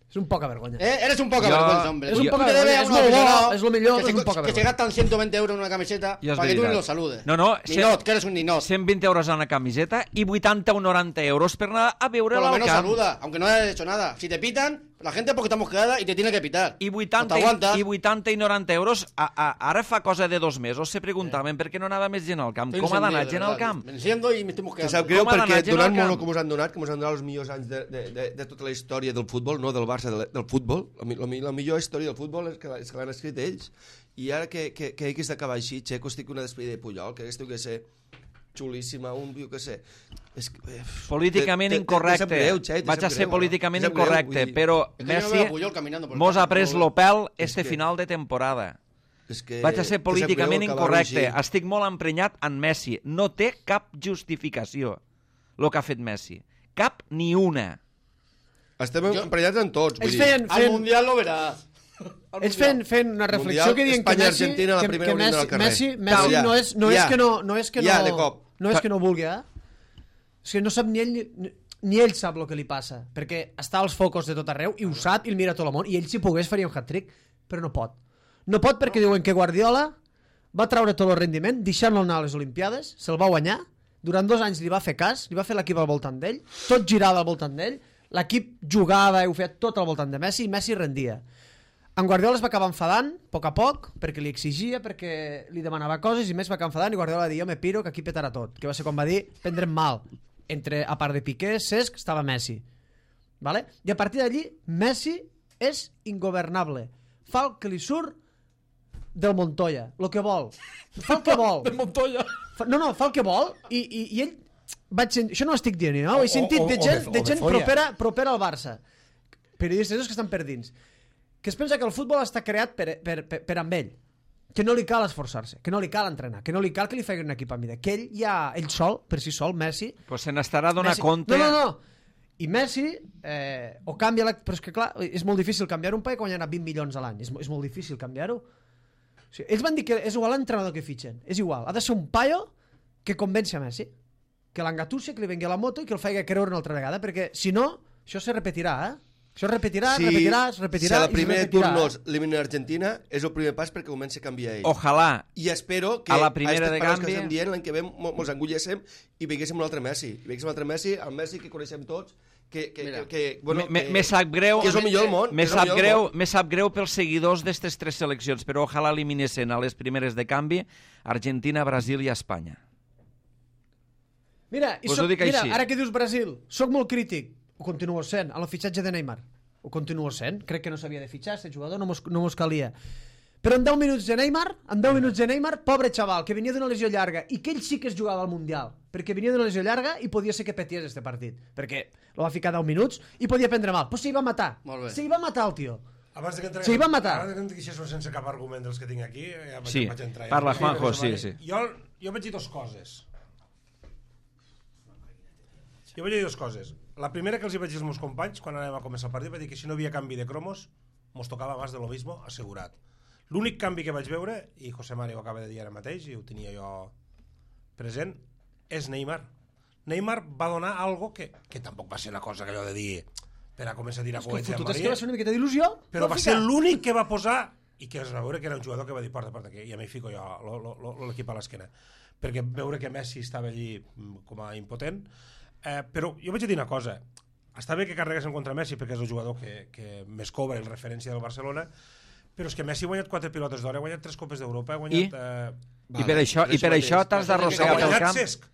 C: És un poca vergonya.
F: ¿Eh? Eres un poca
A: Yo...
F: vergüenza, hombre.
C: És un
F: Tú
C: poca
F: te debes
C: vergonya,
F: a
C: és
F: un
C: molt
F: aficionado
C: bo, és lo millor,
F: que,
C: és
F: se,
C: un poca
F: que se
C: vergonya.
F: gastan ciento veinte euros en una camiseta
A: Ja és
F: para que tú
A: veritat.
F: ni lo saludes.
A: No, no,
F: Ninot, que eres un ninot.
A: cent vint euros en una camiseta i vuitanta o noranta euros per anar a veure
F: Por lo
A: al
F: menos
A: camp.
F: saluda, aunque no hayas hecho nada. Si te pitan, la gente porque estamos quedada y te tiene que pitar.
A: I vuitanta, i, i vuitanta i noranta euros, a, a, ara fa cosa de dos mesos, se preguntaven per què no anava més gent al camp.
F: Estoy
A: Com ha d'anar
F: encendido,
A: gent
F: de
A: al
F: verdad.
A: camp?
F: Me enciendo y me estoy
D: Que
F: mosqueando.
D: sap greu
A: Com ha
D: perquè
A: d'anar gent
D: donant
A: al camp?
D: molt com us han donat, que us han donat els millors anys de, de, de, de tota la història del futbol, no del Barça, de, del futbol. La, la, la millor història del futbol és que, és que l'han escrit ells. I ara que, que, que hagués d'acabar així, Checo, estic una despedida de Puyol, que hagués que ser xulíssima, un, jo què sé... És que, eh,
A: Políticament
D: te- te-
A: incorrecte.
D: te sap greu, Che, te
A: Vaig
D: sap
A: a ser
D: greu,
A: políticament
D: te sap greu,
A: incorrecte,
D: vull dir,
A: però
F: Es que yo no
A: Messi
F: veo a Puyol caminando por el
A: mos ha
F: campo.
A: pres l'Opel
D: És
A: este
D: que-
A: final de temporada.
D: és que,
A: Vaig a ser
D: te sap
A: políticament
D: greu acabar-ho
A: incorrecte.
D: així.
A: Estic molt emprenyat en Messi. No té cap justificació el que ha fet Messi. Cap ni una.
D: Estem
F: Jo-
D: emprenyats en tots, vull
C: Ells
D: dir.
C: feien,
F: Al
C: feien,
F: mundial lo verás. Al
C: ells
F: mundial.
C: feien, feien una reflexió
D: Mundial,
C: que diuen que
D: Espanya,
C: Messi,
D: Argentina, la
C: que,
D: primera
C: que
D: unida
C: Messi,
D: al carrer.
C: Messi, Messi
D: Ja,
C: no és, no
D: ja.
C: és que no, no és que no,
D: Ja, de cop.
C: no és que no vulgui, eh? És que no sap ni ell ni, ni ell sap el que li passa, perquè està als focus de tot arreu i ho sap i el mira tot el món, i ell si pogués faria un hat-trick, però no pot. No pot perquè diuen que Guardiola va treure tot el rendiment, deixant-lo anar a les Olimpiades, se'l va guanyar, durant dos anys li va fer cas, li va fer l'equip al voltant d'ell, tot girava al voltant d'ell, l'equip jugava i ho feia tot al voltant de Messi i Messi rendia. En Guardiola es va acabar enfadant, a poc a poc, perquè li exigia, perquè li demanava coses i més va acabar enfadant i Guardiola va dir, jo me piro que aquí petarà tot, que va ser quan va dir, prendrem mal. Entre, a part de Piqué, Cesc, estava Messi. Vale? I a partir d'allí, Messi és ingovernable. Fa el que li surt del Montoya, el que vol. Fa el que vol.
B: Del Montoya.
C: Fa, no, no, fa el que vol i, i, i ell... Vaig sent... Això no ho estic dient, no? Ho he sentit
B: o-
C: de
B: o
C: gent,
B: de-
C: de
B: o de
C: gent
B: folla.
C: propera, propera al Barça. Periodistes que estan per dins. Que es pensa que el futbol està creat per, per, per, per amb ell. Que no li cal esforçar-se, que no li cal entrenar, que no li cal que li faci un equip a mida. Que ell ja, ell sol, per si sol, Messi...
A: Pues se n'estarà a donar
C: Messi...
A: compte...
C: No, no, no. I Messi, eh, o canvia... La... Però és que, clar, és molt difícil canviar un paio quan hi ha vint milions a l'any. És, és molt difícil canviar-ho. O sigui, ells van dir que és igual l'entrenador que fitxen. És igual. Ha de ser un paio que convenci a Messi. Que l'engatussi, que li vengui la moto i que el faci creure una altra vegada. Perquè, si no, això se repetirà, eh? Això es repetirà, es repetirà, es repetirà...
D: si a la
C: i es
D: primera
C: repetirà,
D: turnos
C: eh?
D: eliminen Argentina, és el primer pas perquè comenci a canviar ell.
A: Ojalà.
D: I espero que
A: A la primera de
D: aquestes paraules que
A: canvi-
D: estem dient l'any que ve mo- mos engulléssim i veiéssim un altre Messi. I veiéssim un altre Messi, el Messi que coneixem tots, que, que,
F: Mira,
D: que, que, bueno,
A: Me,
D: que,
A: me sap greu...
D: que és el millor del món.
A: Me
D: que és el
A: sap,
D: millor del
A: greu,
D: món.
A: me sap greu pels seguidors d'aquestes tres seleccions, però ojalà eliminessin a les primeres de canvi Argentina, Brasil i Espanya.
C: Mira, i
A: Us
C: soc,
A: ho dic
C: mira
A: així.
C: ara que dius Brasil, sóc molt crític, ho continuo sent, en el fitxatge de Neymar. Ho continuo sent. Crec que no s'havia de fitxar, aquest jugador no mos, no mos calia. Però en deu minuts de Neymar, en deu minuts de Neymar, pobre xaval, que venia d'una lesió llarga, i que ell sí que es jugava al Mundial, perquè venia d'una lesió llarga i podia ser que peties este partit, perquè lo va ficar deu minuts i podia prendre mal. Però s'hi va matar.
F: Molt bé.
C: S'hi va matar el tio.
B: Abans de que entregués,
C: Sí, va matar.
B: Abans de que em diguessis sense cap argument dels que tinc aquí, ja vaig,
A: Sí,
B: vaig entrar.
A: parla,
B: Ja.
A: Juanjo,
B: Vale.
A: sí, sí.
B: Jo, jo vaig dir dues coses. Jo vaig dir dues coses. La primera que els hi vaig dir als meus companys, quan anàvem a començar el partit, vaig dir que si no havia canvi de cromos, mos tocava más de lo mismo, assegurat. L'únic canvi que vaig veure, i José Mari ho acaba de dir ara mateix, i ho tenia jo present, és Neymar. Neymar va donar algo que, que tampoc va ser una cosa que allò de dir per a començar a tirar
C: És que el
B: coets a
C: fotut és
B: Maria,
C: que va ser una miqueta d'il·lusió.
B: però
C: Ho
B: va
C: ficar.
B: ser l'únic que va posar i que es va veure que era un jugador que va dir porta, porta, que ja m'hi fico jo lo- lo- lo- l'equip a l'esquena, perquè veure que Messi estava allí mm, com a impotent, eh, però jo vaig dir una cosa, està bé que carreguessin contra Messi perquè és el jugador que, que més cobra en referència del Barcelona, però és que Messi ha guanyat quatre pilotes d'or, ha guanyat tres copes d'Europa, ha guanyat...
A: I?
B: Eh,
A: I per això, i per això t'has
B: ha
A: d'arrossegar pel
B: guanyat
A: camp.
B: Cesc,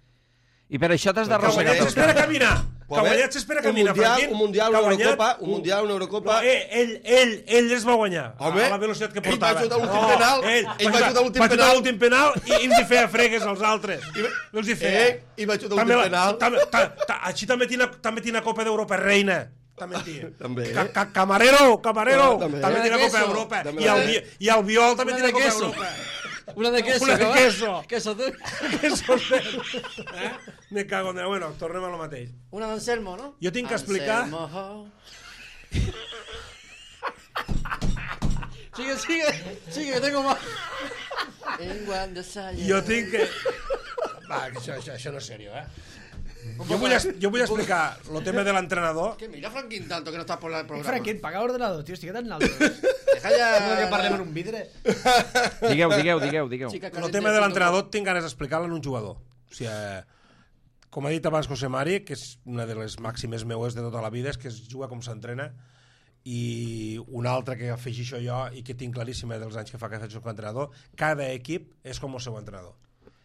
A: I per això t'has
B: ha
A: d'arrossegar
B: guanyat
A: pel
B: Cesc per a
A: camp.
B: caminar, Que ha guanyat s'espera que camina, Franquín.
D: Un Mundial, una Eurocopa, un Mundial, una Eurocopa...
B: No, ell, ell, ell es va guanyar.
D: Home,
B: a la velocitat que portava.
D: ell va xutar l'últim penal,
B: ell,
D: ell va xutar l'últim
B: va xutar
D: penal.
B: l'últim penal i ens hi feia fregues als altres. No els hi feia.
D: Eh, i va xutar l'últim penal.
B: També, ta, ta, així també tina, també tina Copa d'Europa reina. També tia.
D: També.
B: Ca, ca, camarero, camarero.
D: No, també.
B: També tina
F: Una de
B: Copa
F: queso.
B: d'Europa.
D: També
B: I el,
D: la-
B: vi- I el Viol també
F: Una
B: tina
F: de
B: Copa
F: queso.
B: d'Europa.
F: Una de queso.
B: Una de
F: cabrón.
B: queso.
F: Queso, tú.
B: Queso eh? Me cago en Déu. Bueno, tornem a lo mateix.
F: Una d'Anselmo, no?
B: Jo tinc que explicar...
F: Anselmo. Sigue, sigue, sigue, que tengo más. En Guandasaya.
B: Jo tinc que... Va, que això, això, això no és serio, eh? Jo vull, es- jo vull explicar el tema de l'entrenador.
F: Que mira Franquín tanto que no está por el programa.
C: Franquín, paga l'ordenador, tio, estic tan alt.
F: Deja ya...
C: Que parlem en un vidre.
A: Digueu, digueu, digueu, digueu.
F: Chica
B: El
F: caliente
B: tema de
F: punto
B: l'entrenador tinc ganes d'explicar-lo en un jugador. O sigui, eh, com ha dit abans José Mari, que és una de les màximes meues de tota la vida, és que es juga com s'entrena, i una altra que afegixo jo i que tinc claríssima dels anys que fa que faig com a entrenador, cada equip és com el seu entrenador.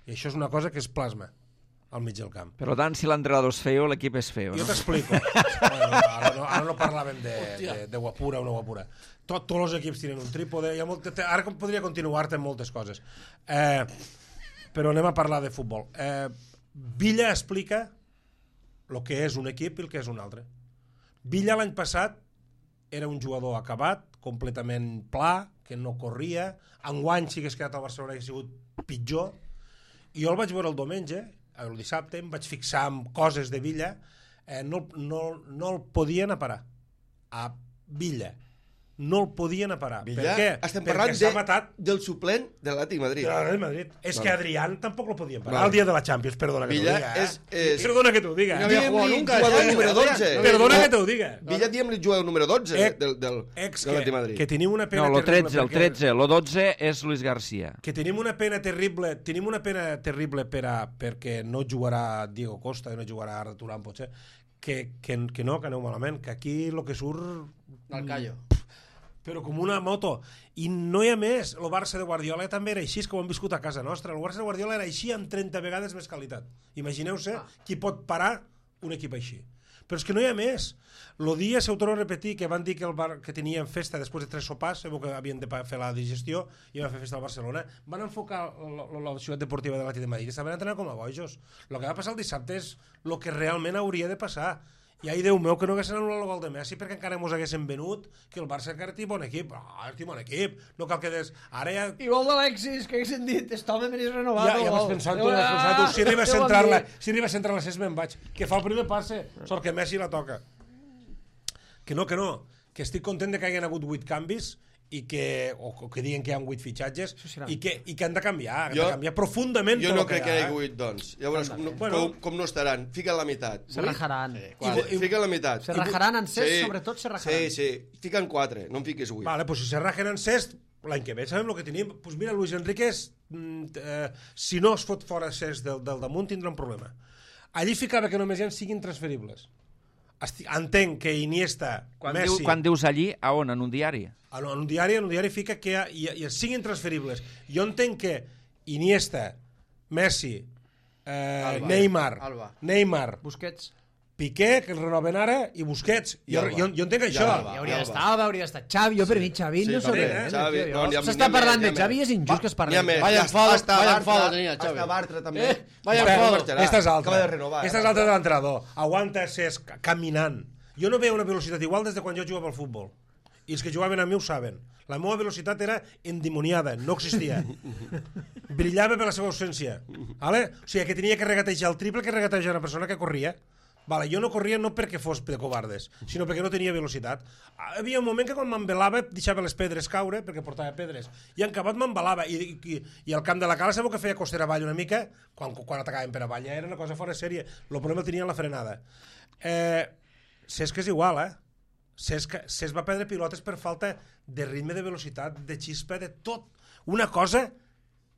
B: I això és una cosa que es plasma al mig del camp.
A: Per tant, si l'entrenador és feo, l'equip és feo,
B: Jo
A: no?
B: t'explico. Bueno, ara, no, ara no parlàvem de, de, de guapura o no guapura. Tot, tots els equips tenen un trípode. Hi ha molt, ara com podria continuar-te en moltes coses. Eh, però anem a parlar de futbol. Eh, Villa explica el que és un equip i el que és un altre. Villa l'any passat era un jugador acabat, completament pla, que no corria. Enguany, si hagués quedat al Barcelona, hauria sigut pitjor. I jo el vaig veure el diumenge, el dissabte, em vaig fixar en coses de Villa, eh, no, no, no el podien aparar. A Villa. No el podien aparar.
D: Villa,
B: Per què?
D: estem
B: Perquè
D: parlant
B: s'ha
D: de,
B: matat
D: del suplent de l'Atlètic Madrid.
B: de l'Atlètic Madrid. És
D: Vale.
B: que Adrián tampoc lo podien parar.
D: Vale.
B: El dia de la Champions, perdona que
D: Villa
B: t'ho diga. Eh?
D: és- és-
B: Perdona que t'ho diga.
F: No había jugado
D: Diem-li
F: nunca.
D: jugador
F: ¿sabes?
D: número dotze.
B: Perdona
D: No,
B: que t'ho diga.
D: Villa, diem-li jugador número dotze
B: Eh,
D: del, del,
B: Ex
D: de l'Atlètic
B: que,
D: Madrid.
B: que tenim una pena
A: No, el
B: terrible
A: tretze, el
B: perquè-
A: tretze. El dotze és Luis García.
B: que tenim una pena terrible tenim una pena terrible per a, perquè no jugarà Diego Costa i no jugarà Arda Turán potser que, que, que no, que aneu malament que aquí el que surt
F: Al callo.
B: però com una moto i no hi ha més, el Barça de Guardiola també era així, és que ho hem viscut a casa nostra el Barça de Guardiola era així amb trenta vegades més qualitat imagineu-se ah. qui pot parar un equip així però és que no hi ha més el dia, se ho torno a repetir, que van dir que, el bar, que tenien festa després de tres sopars, sabeu que havien de fer la digestió i van fer festa al Barcelona, van enfocar la, la, la ciutat deportiva de l'Atlètic de Madrid i estaven entrenant com a bojos. El que va passar el dissabte és el que realment hauria de passar. I ai, Déu meu, que no haguessin anul·lat el gol de Messi perquè encara mos haguessin venut que el Barça encara té bon equip. Ah, té bon equip. No cal que des... Ara ja...
C: I gol d'Alexis, que haguessin dit, este home me n'és renovat.
B: Ja, ja vas pensant tu, ja vas pensant tu. Si arriba a centrar-la, si arriba a centrar-la, si me'n vaig. Que fa el primer passe, sort que Messi la toca. Que no, que no. Que estic content de que hagin hagut vuit canvis i que, o, o que diguen que hi ha vuit fitxatges i que, i que han de canviar, han
D: Jo-
B: de canviar profundament
D: Jo
B: tot
D: no
B: el que
D: crec que
B: hi
D: hi
B: ha.
D: hagi vuit, doncs. Llavors, com, no,
B: Bueno.
D: com, com no estaran? Fica la meitat.
C: Se rajaran.
D: I, fica la meitat.
C: Se rajaran en Cesc, sobretot se rajaran.
D: Sí, sí. Fiquen quatre, no en fiquis vuit.
B: Vale, pues si se rajen en Cesc, l'any que ve sabem el que tenim. Pues mira, Luis Enriquez, mm, eh, si no es fot fora Cesc del, del damunt, tindrà un problema. Allí ficava que només hi ha siguin transferibles. Esti entenc que Iniesta,
A: Quan,
B: Messi...
A: diu, quan dius allí, a on? En un diari?
B: En un diari, en un diari fica que hi, ha, hi, ha, hi ha siguin transferibles. Jo entenc que Iniesta, Messi, eh,
F: Alba.
B: Neymar,
F: Alba.
B: Neymar,
C: Busquets.
B: Piqué, que el renoven ara, i Busquets.
D: I
B: Jo,
D: Alba.
B: jo, jo entenc
D: I
B: això.
D: Alba.
C: I hauria
D: Alba.
C: d'estar Alba, hauria d'estar Xavi. Jo per mi Xavi
D: Sí,
C: no
D: també,
C: sorprèn.
D: Xavi,
C: tio.
D: no, n'hi ha-
C: S'està
D: n'hi ha
C: parlant
D: més,
C: de
D: n'hi ha
C: Xavi i és
D: més.
C: injust que es
D: N'hi ha
C: parli.
D: més.
F: Vaya
D: Ja
F: enfado,
D: hasta
F: vaya
D: Bartra,
F: enfado tenía Xavi.
D: hasta Bartra també.
F: Eh, vaya
B: Espera,
F: enfado.
D: marxarà.
B: Esta és altra.
D: Acaba de renovar.
B: Esta és altra de l'entrenador. Aguanta Cesc caminant. Jo no veia una velocitat igual des de quan jo jugava al futbol. I els que jugaven a mi ho saben. La meva velocitat era endimoniada, no existia. Brillava per la seva ausència. Vale? O sigui, que tenia que regatejar el triple que regatejar una persona que corria. Vale, jo no corria no perquè fos de covardes, sinó perquè no tenia velocitat. Hi havia un moment que quan m'embelava deixava les pedres caure, perquè portava pedres, i en acabat m'embelava, i, i, i al camp de la cala sabeu que feia costera avall una mica, quan, quan atacaven per avall, ja era una cosa fora de sèrie. El problema el tenia en la frenada. Eh, Cesc és igual, eh? Cesc, Cesc va perdre pilotes per falta de ritme, de velocitat, de xispa, de tot. Una cosa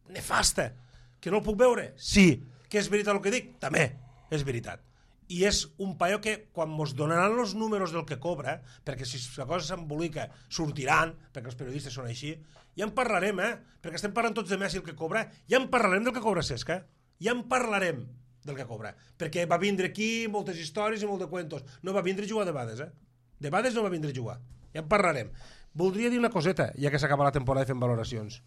B: nefasta. Que no el puc veure? Sí. Que és veritat el que dic? També és veritat. I és un paio que quan mos donaran els números del que cobra, perquè si la cosa s'embolica sortiran, perquè els periodistes són així, ja en parlarem, eh? Perquè estem parlant tots de Messi el que cobra, ja en parlarem del que cobra Cesc, eh? Ja en parlarem. del que cobra. Perquè va vindre aquí moltes històries i molt de cuentos. No va vindre a jugar de bades, eh? De bades no va vindre a jugar. Ja en parlarem. Voldria dir una coseta, ja que s'acaba la temporada fent valoracions.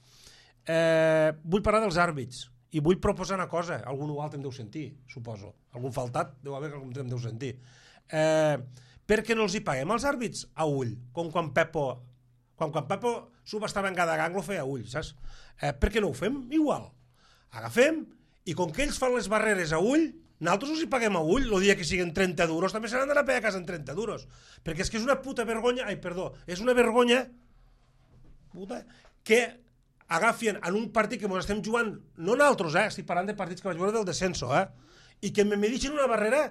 B: Eh, vull parlar dels àrbits i vull proposar una cosa. Algun altre em deu sentir, suposo. Algun faltat deu haver que algun em deu sentir. Eh, per què no els hi paguem als àrbits a ull? Com quan Pepo... Quan, quan Pepo subestava en cada gang, lo feia a ull, saps? Eh, per què no ho fem igual? Agafem, i com que ells fan les barreres a ull, nosaltres els hi paguem a ull, el dia que siguin trenta duros, també se n'han d'anar a pagar a casa en trenta duros. Perquè és que és una puta vergonya, ai, perdó, és una vergonya puta, que agafien en un partit que ens estem jugant, no nosaltres, eh, estic parlant de partits que vaig veure del descenso, eh, i que me medixen una barrera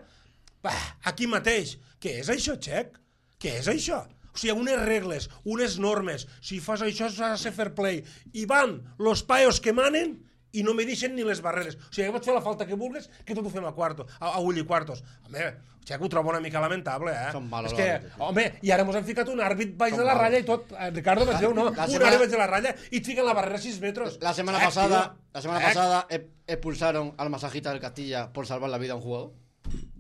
B: bah, aquí mateix. Què és això, Xec? Què és això? O sigui, unes regles, unes normes, si fas això s'ha de ser fair play, i van los paios que manen i no me deixen ni les barreres. O sigui, pots fer la falta que vulguis, que tot ho fem a quarto, a, a ull i quartos. Home, Xec, ho trobo una mica lamentable, eh?
F: Són malos,
B: és que, home, i ara mos han ficat un àrbit baix de la ratlla i tot. Eh, Ricardo, vaig dir, no?
F: La
B: Un
F: semana-
B: àrbit baix de la ratlla i et fiquen la barrera a sis metres.
F: La semana
B: Xec,
F: pasada,
B: tio.
F: la semana
B: Xec.
F: pasada e- expulsaron al masajista del Castilla por salvar la vida a un jugador.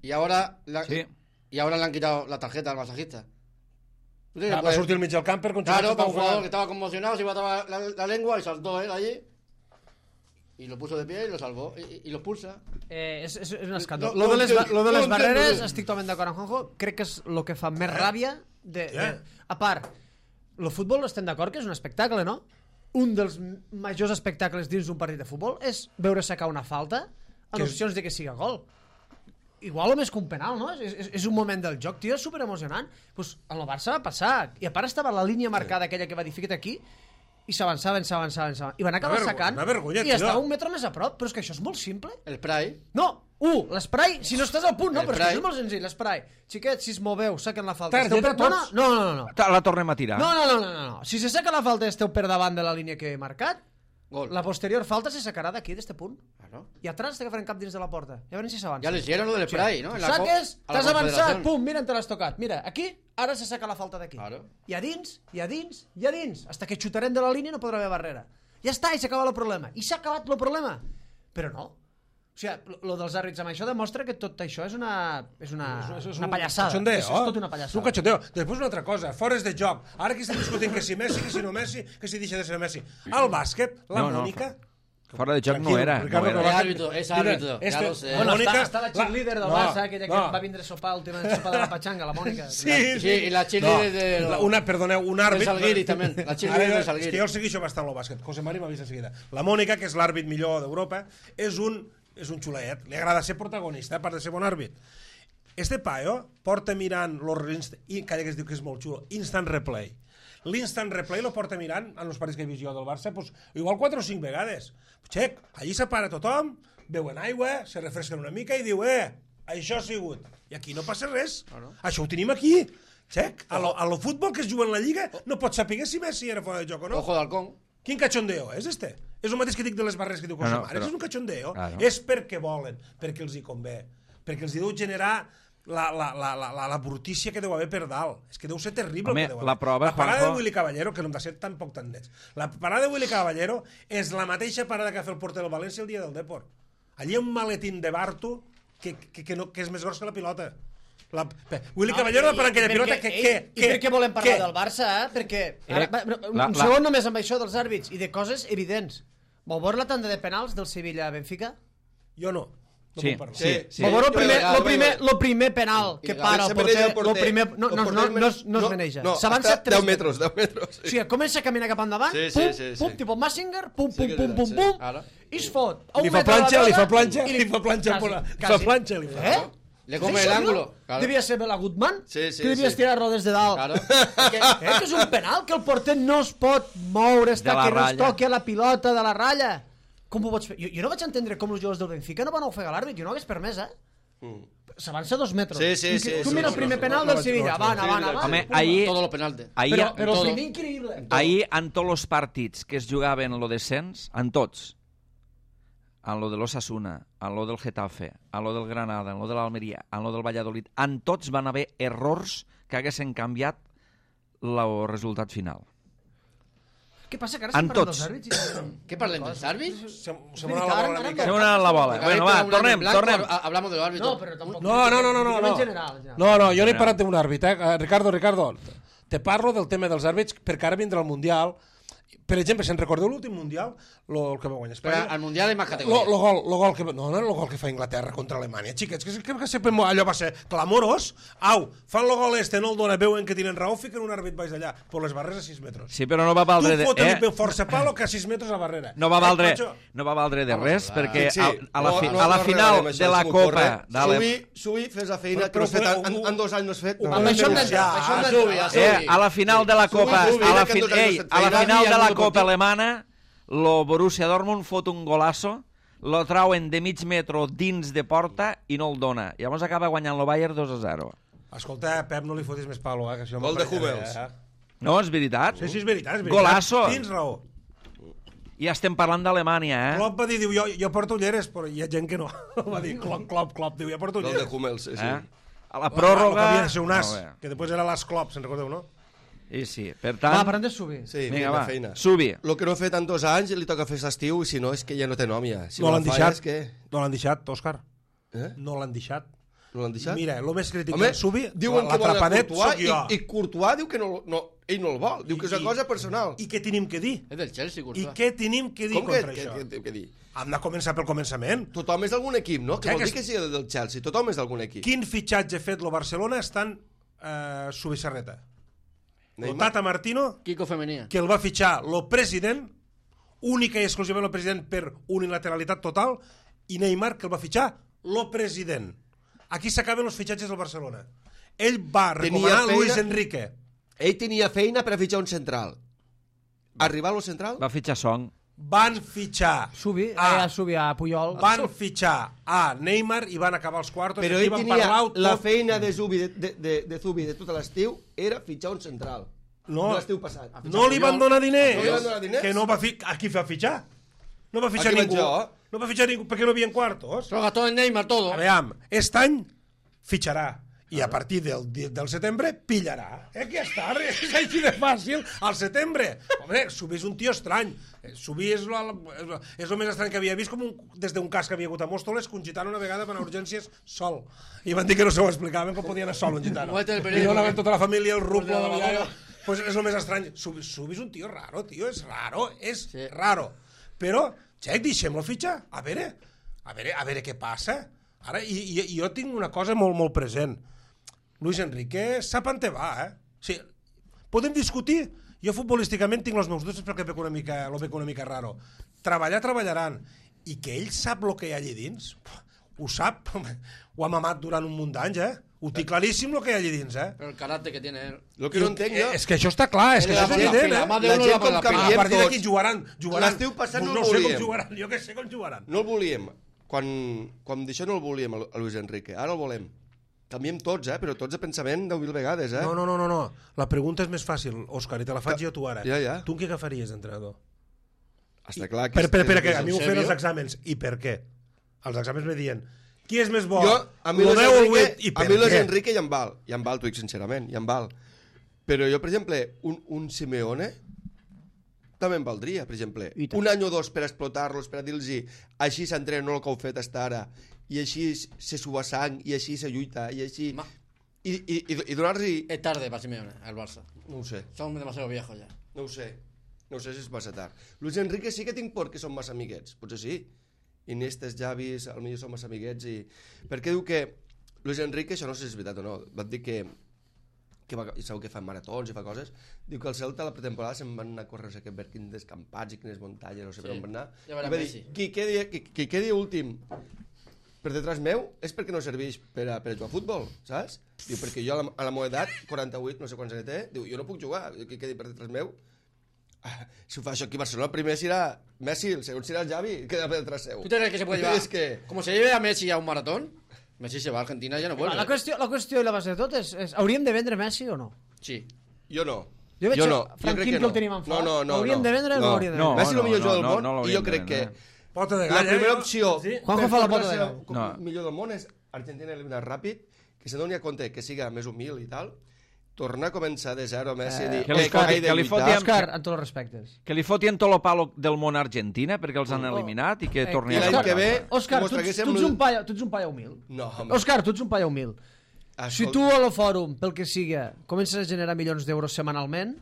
F: Y ahora, la-
A: Sí.
F: y ahora le han quitado la tarjeta al masajista. ¿Tú crees que
B: Va, va
F: puede-
B: sortir al mig del camp per
F: Claro, para un jugador que
B: que...
F: estaba conmocionado, se iba a tapar la, la lengua y saltó él allí. Y lo puso de pie y lo salvó. Y, y- y lo expulsa.
C: Eh, és, és, és un escàndol.
F: No,
C: Lo
F: no
C: de les,
F: entenc-
C: lo de les
F: no
C: barreres,
F: entenc.
C: estic totalment d'acord amb Juanjo, crec que és el que fa més ràbia. De, de,
B: Eh?
C: a part, el futbol estem d'acord que és un espectacle, no? Un dels majors espectacles dins d'un partit de futbol és veure sacar una falta en
B: Que és-
C: opcions de que siga gol. Igual o més que un penal, no? És, és, és un moment del joc, tio, és superemocionant. Pues, en el Barça va passar. I a part estava la línia marcada aquella que va dir fica't aquí i s'avançava, s'avançava, s'avançava. I van acabar
B: Una vergo-
C: sacant
B: una vergonya,
C: i
B: tio.
C: estava un metre més a prop. Però és que això és molt simple.
F: El spray.
C: No, u, l'esprai, si no estàs al punt, no,
F: El
C: però és que
F: spray.
C: això és molt senzill, l'esprai. Xiquets, si es moveu, saquen la falta.
B: Targeta
C: Esteu per... no,
B: tots?
C: no, no, no, no.
A: Ta- La tornem a tirar.
C: No, no, no, no, no, no. Si se saca la falta i esteu per davant de la línia que he marcat,
F: Gol.
C: la posterior falta se sacarà d'aquí, d'este punt.
F: Claro.
C: I atrás t'agafarem cap dins de la porta. Ja veurem si s'avança.
F: Ya le hicieron lo del spray, ¿no? En la co-
C: Saques,
F: a la
C: t'has avançat,
F: Confederación.
C: pum, mira, te l'has tocat. Mira, aquí, ara se saca la falta d'aquí.
F: Claro.
C: I a dins, i a dins, i a dins. Hasta que xutarem de la línia no podrà haver barrera. Ja està, i s'acaba el problema. I s'ha acabat el problema. Però no. O sigui, lo dels àrbits amb això demostra que tot això és una, és una,
B: És- és
C: una
B: un
C: pallassada.
B: cachondeo,
C: és, és tot una
B: És un
C: pallassada.
B: cachondeo. Després una altra cosa, fores de joc. Ara que estem discutint que si Messi, que si no Messi, que si deixa de ser Messi. Al bàsquet, la
A: No, no,
B: Mònica...
A: Fora de joc no
B: Tranquil,
A: era. No
B: Ricardo,
A: era.
B: però
F: Es
B: va-
F: árbitro, es
B: Mira,
F: árbitro, ya
B: este-
F: lo sé.
B: la
C: Bueno,
B: Mònica-
C: està, està la cheerleader del
B: no,
C: Barça, aquella que
B: no.
C: va vindre a sopar l'última sopa de la patxanga, la Mònica.
B: Sí,
F: Sí, y la cheerleader de...
B: La- una, perdoneu, un àrbit...
F: De Salguiri, també. La cheerleader
B: Ara,
F: de Salguiri.
B: És que jo el segueixo bastant el bàsquet. José Mari m'ha vist en seguida. La Mònica, que és l'àrbit millor d'Europa, és un, és un xulet. Li agrada ser protagonista, a part de ser bon àrbit. Este paio porta mirant los, i cada que es diu que és molt xulo, instant replay. L'instant replay lo porta mirant en els partits que he vist jo del Barça, pues, igual quatre o cinc vegades. Xec, allí separa tothom, beuen aigua, se refresquen una mica i diu, eh, això ha sigut. I aquí no passa res.
F: no.
B: Això ho tenim aquí. Xec, a lo, a lo futbol que es juga en la Lliga no pots saber si Messi era fora de joc o no.
F: Ojo de halcón.
B: Quin cachondeo és este? És el mateix que dic de les barres que diu José
A: No, no,
B: Mares,
A: però-
B: és un cachondeo.
A: Claro.
B: És perquè volen, perquè els hi convé, perquè els hi deu generar la, la, la, la, la, la brutícia que deu haver per dalt. És que deu ser terrible.
A: Home,
B: el que deu
A: la
B: haver.
A: prova,
B: la parada
A: Juanjo-
B: de Willy Caballero, que no hem de ser tampoc tan nets, la parada de Willy Caballero és la mateixa parada que va fer el porter del València el dia del Depor. Allí hi ha un maletín de Barto que, que, que, no, que és més gros que la pilota. La, pe- Willy
C: No,
B: Caballero
C: i-
B: va parar aquella
C: i
B: pilota
C: perquè-
B: que...
C: ei,
B: que,
C: I
B: que
C: per què volem parlar
B: que-
C: del Barça, eh? Perquè...
A: Eh,
C: Ara, va, un
A: la-
C: un
A: la-
C: segon només amb això dels àrbits i de coses evidents. Vau veure la tanda de penals del Sevilla-Benfica?
B: Jo no. No
A: Sí,
B: puc parlar.
A: sí, sí.
C: Vau veure el
F: Jo
C: primer,
F: veure,
C: lo
F: jo
C: primer,
F: veure.
C: lo primer penal que
F: I
C: para
D: Se
C: el
D: maneja
C: porter,
D: el
C: lo primer, no,
D: El
C: no, no,
D: porter
C: no, es- no es maneja.
D: No,
C: S'avança
D: està
C: tres
D: deu metres, deu metres.
C: O sigui, comença a caminar cap endavant,
D: Sí, sí,
C: pum,
D: sí, sí.
C: pum, tipus Massinger, pum,
D: Sí
C: pum,
D: que és
C: pum, pum,
D: veritat, sí.
C: pum,
F: Ara.
C: i es fot. a un
B: Li fa
C: metre de la
B: planxa, li
C: groga
B: fa planxa,
C: i
B: li fa planxa,
C: Quasi,
B: la-
C: quasi.
B: fa planxa, li fa.
C: Eh?
F: Le
C: És
F: come el
C: això,
F: ángulo.
C: no?
F: Claro.
C: Devia ser Bela Gutmann,
F: Sí, sí,
C: que devies
F: sí.
C: tirar-lo des de dalt.
F: Claro.
C: Que, eh, que és un penal, que el porter no es pot moure, està
A: De la
C: que no es
A: ratlla.
C: toqui a la pilota de la ratlla. Com ho pots fer? Jo, jo no vaig entendre com els jugadors del Benfica no van ofegar l'àrbit, jo no hagués permès, eh?
D: Mm.
C: S'avança dos metres.
F: Sí, sí,
C: I
F: sí,
C: que- Tu
F: sí,
C: mira
F: sí,
C: el primer
F: sí,
C: penal
B: no,
C: del
B: no,
C: Sevilla,
B: no,
C: avant,
B: sí,
C: avant,
F: sí,
C: avant.
A: Home,
C: Pum.
A: ahir,
F: Todos los penaltes.
A: ahir,
C: Però, però el
F: todo.
C: primer increïble.
A: ahir en tots els partits que es jugaven en lo descens, en tots, en lo de l'Osasuna, en lo del Getafe, en lo del Granada, en lo de l'Almeria, en lo del Valladolid, en tots van haver errors que haguessin canviat el resultat final.
C: Què passa, que ara
A: En
C: estem parlant
A: tots.
C: dels àrbits? i-
F: ¿Qué parlen dels àrbits?
B: Se, se
C: veritat,
B: m'ha la bola
C: ara
B: una
C: em
B: mica.
A: Se una la bola. Bueno, va, tornem, tornem.
F: Hablamos de los árbitros.
C: No, però tampoc...
B: No, no, no, no, no,
C: Diguem
B: no.
C: En general, en general.
B: No, no, jo no he parlat d'un àrbit, eh? Ricardo, Ricardo, te parlo del tema dels àrbits perquè ara vindrà el Mundial. Per exemple, si en recordeu l'últim Mundial, lo, el que va guanyar
F: Pero
B: Espanya...
F: al mundial hay más
B: Lo,
F: categorías.
B: lo, gol, lo gol que, no, no era el gol que fa Inglaterra contra Alemanya, xiquets, que, que, que sempre allò va ser clamorós. Au, fan el gol este, no el dona, veuen que tenen raó, fiquen un àrbit baix d'allà, per les barreres a sis metres.
A: Sí, però no va valdre...
B: Tu
A: de-
B: foten
A: eh?
B: eh? força palo que a sis metres a barrera.
A: No va
B: Eh,
A: valdre,
B: macho?
A: no va valdre de res, perquè
D: Sí,
A: a,
D: sí.
A: a la, fi,
D: No, no,
A: a la
D: no
A: final
D: arreglarem això,
A: de la
D: si
A: Copa...
D: m'ocorre.
A: d'Ale-
D: Subi, subi, fes la feina,
B: Però-
D: que no has fet
B: però-
D: en, en, en dos anys no has fet.
B: Ho
D: No,
B: podem
F: Això hem
B: denunciar.
F: d'entrar, això hem
B: Ah,
F: d'entrar.
B: Subi,
A: Eh, a la final de la Copa,
D: Subi,
A: a la,
D: que
A: fi,
D: en dos anys
A: ei,
D: no s'ha
A: a la
D: fet
A: final
D: feina,
A: de la
D: i el
A: Copa
D: Deportiu-
A: alemana, lo Borussia Dortmund fot un golasso, lo trauen de mig metro dins de porta i no el dona. Llavors acaba guanyant el Bayern dos a zero.
B: Escolta, Pep, no li fotis més palo, eh? Que això
D: Gol de
B: m'apareix,
D: Hummels.
B: eh?
A: No, és veritat.
B: Sí, sí, és veritat, és veritat.
A: Golasso.
B: Tens raó.
A: Ja estem parlant d'Alemanya, eh?
B: Klopp va dir, diu, jo, jo porto ulleres, però hi ha gent que no. Va dir, Klopp, Klopp, Klopp, diu, jo porto
D: Gol de
B: ulleres.
D: Hummels, sí, sí.
A: eh? A la
B: Pròrroga...
A: pròrroga...
B: Que havia de ser un as,
A: Molt bé.
B: que després era l'as Klopp, se'n recordeu, no?
A: I sí, per
C: Va,
A: tant...
C: parlem de subir.
D: Sí,
A: Vinga,
D: vinga,
A: va,
D: feina.
A: Subi.
D: El que no ha fet en dos anys li toca fer l'estiu, i si no és que ja no té nom ja. Si
B: No l'han
D: la fa
B: deixat,
D: És que...
B: no l'han deixat, Òscar.
D: Eh?
B: No l'han deixat.
D: No l'han deixat?
B: Mira, el més crític
D: Home,
B: del Subi,
D: diuen que volen a
B: l'atrapadet
D: Courtois
B: sóc jo.
D: i, i Courtois diu que no, no, ell no el vol. Diu que és una cosa personal.
B: I què tenim que dir?
F: Es del Chelsea,
B: I
F: Courtois.
B: què tenim que dir
D: Com que,
B: contra
D: que,
B: això?
D: que, que, que dir?
B: Hem de començar pel començament.
D: Tothom és d'algun equip, no? Que
B: Ja
D: vol
B: que
D: dir que sigui del Chelsea. Tothom és d'algun equip.
B: Quin fitxatge ha fet lo Barcelona estan eh, Subissarreta? El
D: Neymar.
B: Tata Martino,
F: Kiko Femenía.
B: que el va fitxar lo president, única i exclusivament el president per unilateralitat total, i Neymar, que el va fitxar lo president. Aquí s'acaben els fitxatges del Barcelona. Ell va recomanar
D: feina-
B: Luis Enrique.
D: Ell tenia feina per a fitxar un central. Arribar a lo central?
A: Va fitxar Song.
B: Van fitxar
C: Subi,
B: a,
C: a, Subi a Puyol.
B: van fitxar a Neymar i van acabar els quartos.
D: Però
B: i aquí
D: ell
B: van
D: tenia
B: parlar
D: la
B: tot.
D: feina de Zubi, de, de, de, de Zubi de tot l'estiu, era fitxar un central.
B: No,
D: l'estiu passat.
B: no li van donar diners.
D: No li van donar diners?
B: Que no va fi... A qui va fitxar? No va fitxar
D: A qui vaig
B: ningú.
D: jo?
B: No va fitxar ningú perquè no havia quartos.
F: Se lo gastó en Neymar todo.
B: A veure, aquest any fitxarà. I a partir del, del setembre pillarà. Eh, que ja està, és així de fàcil. Al setembre. Home, Subi és un tio estrany. Subi és el, és el més estrany que havia vist, com un, des d'un cas que havia hagut a Mòstoles, que un gitano una vegada per a urgències sol. I van dir que no s'ho explicaven, com podia anar sol un gitano.
F: Muerte del
B: I
F: periódico.
B: no anaven tota la família, el ruplo
F: Pues de la
B: de la
F: lavadora.
B: Pues és el més estrany. Subi, Subi és un tio raro, tio, és raro, és
F: Sí.
B: raro. Però, xec, deixem-lo fitxar. A veure, a veure, a veure què passa. Ara, i, i, i jo tinc una cosa molt, molt present. Luis Enrique sap on te va, eh? O sigui, podem discutir. Jo futbolísticament tinc els meus dubtes perquè veig una mica, lo veig una mica raro. Treballar, treballaran. I que ell sap el que hi ha allà dins, ho sap. Ho ha mamat durant un munt d'anys, eh? Ho té claríssim el que hi ha allà dins, eh?
F: Pero el carácter que tiene él.
D: Lo que no entenc jo...
B: És que això està clar, és que
F: La
B: això és
F: pila,
B: evident,
F: la
B: eh?
F: mà de
D: La
F: uno
D: gent
F: la
D: com
F: pila.
B: A
D: canviem
B: partir d'aquí
D: tots.
B: jugaran, jugaran.
D: L'estiu passat no
B: no
D: el
B: sé com
D: volíem.
B: jugaran, jo que sé com jugaran.
D: No el volíem. Quan, quan d'això no el volíem, a Luis Enrique. Ara el volem. Canviem tots, eh? Però tots de pensament deu mil vegades, eh?
B: No, no, no, no, no. La pregunta és més fàcil, Òscar, i te la faig jo tu ara.
D: Ja, ja.
B: Tu en què agafaries d'entrenador?
D: Està clar que...
B: Per, per, per, que
D: és-
B: a mi
F: en
B: m'ho feien
F: sèrio?
B: els exàmens. I per què? Els exàmens me diuen, qui és més bo?
D: Jo, a mi
B: Lo
D: Luis
B: deu o el
D: Enrique,
B: vuit? I
D: a
B: per
D: mi Luis
B: què?
D: Enrique ja em val. Ja em val, t'ho dic sincerament, ja em val. Però jo, per exemple, un, un Simeone també em valdria, per exemple. Un any o dos per explotar-los, per a dir-los així s'entrena, no el que heu fet hasta ara, i així se suba sang, i així se lluita, i així...
F: Ma-
D: I, i, i, i donar-los...
F: Es tarde para Simeone, al Barça.
D: No ho sé,
F: Somos demasiado viejos ya.
D: no ho sé. No ho sé si és massa tard. Luis Enrique sí que tinc por que són massa amiguets, potser sí. Iniestes, Javis, potser són massa amiguets i... Perquè diu que Luis Enrique, això no sé si és veritat o no, va dir que que va, i sabeu que fa maratons i fa coses, diu que el Celta a la pretemporada se'n van anar a córrer no sé què, per quins descampats i quines muntanyes, no sé
F: Sí.
D: per on van anar.
F: Ja verà
D: I va dir,
F: Messi.
D: qui quedi, qui, qui quedi últim per detrás meu és perquè no serveix per a, per a jugar a futbol, saps? Diu, perquè jo a la, a la meva edat, quaranta-vuit, no sé quants anys té, diu, jo no puc jugar, qui quedi per detrás meu. Ah, si ho fa això aquí a Barcelona, el primer serà Messi, el segon serà el Xavi, que queda per detrás seu.
F: ¿Tú te crees que se puede llevar?
D: És que...
F: Como se lleve a Messi a un maratón, Messi se va a Argentina y ya no vuelve.
C: La qüestió, la qüestió i la base de tot és, és hauríem de vendre Messi o no?
F: Sí.
D: Jo no.
C: Jo veig
D: jo
C: que
D: no.
C: Frank
D: jo crec
C: Kim
D: que
C: que
D: no.
C: el tenim en fort.
D: No, no, no.
C: L'hauríem
D: no.
C: de vendre o no
D: no.
C: l'hauríem de
A: No,
C: vendre?
D: Messi és el millor
A: no,
D: jugador
A: no,
D: del món
A: no
D: i
A: l'hauríem
D: jo
A: de
D: crec que
A: vendre.
B: Pota de
D: la
B: gall,
D: primera
B: eh?
D: opció
B: Sí?
C: Juanjo
D: per
C: fa la
D: fer
C: pota de
D: ser
C: gall.
D: el
A: No.
D: millor del món és Argentina eliminat ràpid, que se doni a compte que siga més humil i tal. tornar a començar de zero Messi i dir...
A: que li
D: "Eh,
A: foti-
D: he de
A: que li
D: lluitar".
A: foti-
C: Òscar, amb tots els respectes.
A: Que li fotien tot el palo del món a Argentina perquè els han eliminat i que
C: Eh,
A: torni
D: I
A: a
D: l'any
A: jugar.
D: que ve...
C: Òscar,
D: mos
C: tu, ets-
D: traguéssim
C: tu, ets
D: el-
C: un paio, tu ets un paio humil.
D: No, home.
C: Òscar, tu ets un paio humil. Si
D: Escolta,
C: tu a lo fòrum, pel que siga, comences a generar milions d'euros setmanalment,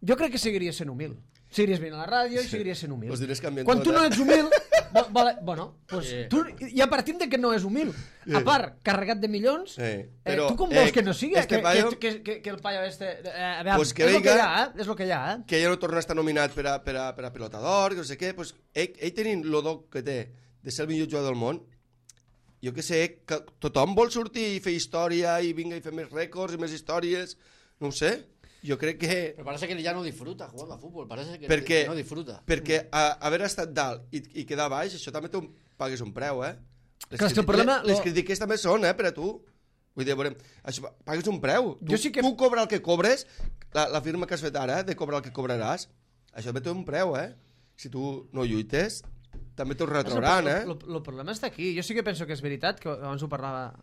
C: jo crec que seguiries sent humil. Seguiries venint a la ràdio i seguiries sent humil.
D: Pues diràs canviant
C: Quan
D: tot,
C: tu no
D: eh?
C: ets humil, vo- vale, bueno, pues
F: Sí.
C: tu, ja partim de que no és humil. A part, carregat de milions,
D: Sí,
C: eh,
D: però,
C: tu com
D: eh,
C: vols que no sigui?
D: este
C: que,
D: paio-
C: que, que, que, que el paio este... Eh, a veure,
D: Pues que
C: és el que hi
D: venga-
C: ha, eh? És el que hi ha, eh?
D: que ja no torna a estar nominat per a, per a, per a pilotador, que no sé què, pues, ell, ell tenint el do que té de ser el millor jugador del món, jo que sé, que tothom vol sortir i fer història i vinga i fer més rècords i més històries, no ho sé, jo crec que...
F: Pero parece que ya no disfruta jugando a fútbol, parece que,
D: Perquè,
F: que no disfruta.
D: perquè a, haver estat dalt i, i quedar baix, això també tu pagues un preu, eh? Les,
C: Clar, és que el
D: criti-
C: problema-
D: les, les
C: lo-
D: crítiques també són, eh, per a tu. Vull dir, veurem, això, pagues un preu. Tu,
C: Jo sí que-
D: tu cobra el que cobres, la, la firma que has fet ara, eh, de cobrar el que cobraràs, això també té un preu, eh? Si tu no lluites, també t'ho retrauran, eh?
C: El problema està aquí. Jo sí que penso que és veritat, que abans ho parlava,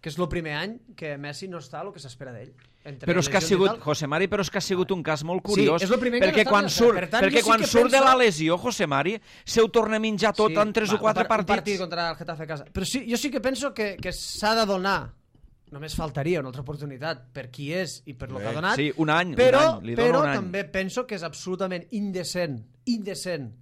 C: que és el primer any que Messi no està el que s'espera d'ell. Entre
A: Però és que ha
C: lesions i
A: sigut,
C: tal.
A: José Mari, però és que ha sigut un cas molt curiós,
C: és el primer que
A: perquè
C: no està
A: quan
C: ni
A: surt,
C: per tant,
A: perquè
C: jo sí
A: quan
C: que
A: surt de
C: penso-
A: la lesió, José Mari, se ho torna a menjar tot en tres
C: va,
A: o quatre
C: un par- Un partit
A: partits.
C: contra el Getafe a casa. Però sí, jo sí que penso que, que s'ha de donar, només faltaria una altra oportunitat per qui és i per lo que ha donat,
A: Sí, un any,
C: però,
A: un any, li dona
C: però
A: un any.
C: també penso que és absolutament indecent, indecent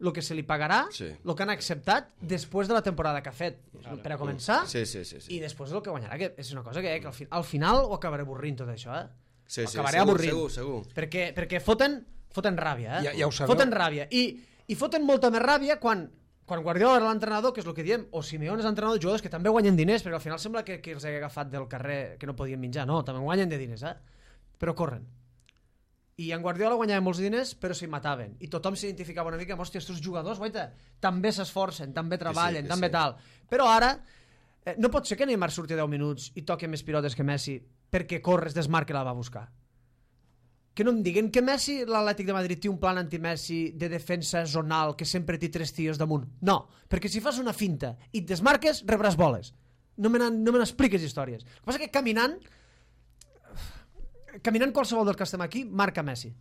C: el que se li pagarà,
D: Sí.
C: el que han acceptat després de la temporada que ha fet, per a començar,
D: Sí, sí, sí. sí.
C: i després el que guanyarà, que és una cosa que, eh, que al, fi, al final ho acabaré avorrint tot això, eh?
D: Sí,
C: Ho
D: sí,
C: acabaré
D: segur,
C: avorrint.
D: segur, segur.
C: Perquè, perquè foten, foten ràbia, eh?
B: Ja- ja ho sabeu.
C: Foten ràbia. I, I foten molta més ràbia quan, quan Guardiola era l'entrenador, que és el que diem, o Simeone és l'entrenador, jugadors que també guanyen diners, perquè al final sembla que, que els hagués agafat del carrer que no podien menjar. No, també guanyen de diners, eh? Però corren. I en Guardiola guanyava molts diners, però s'hi mataven. I tothom s'identificava una mica amb, hòstia, estos jugadors, guaita, també s'esforcen, també treballen,
D: que
C: també
D: sí.
C: tal. Però ara, eh, no pot ser que Neymar surti deu minuts i toqui més pilotes que Messi perquè Corres desmarca i la va buscar. Que no em diguen que Messi, l'Atlètic de Madrid, té un plan anti-Messi de defensa zonal que sempre té tres tios damunt. No, perquè si fas una finta i et desmarques, rebràs boles. No me n'han- no me n'expliques històries. El que passa que caminant, caminant qualsevol dels que estem aquí, marca Messi.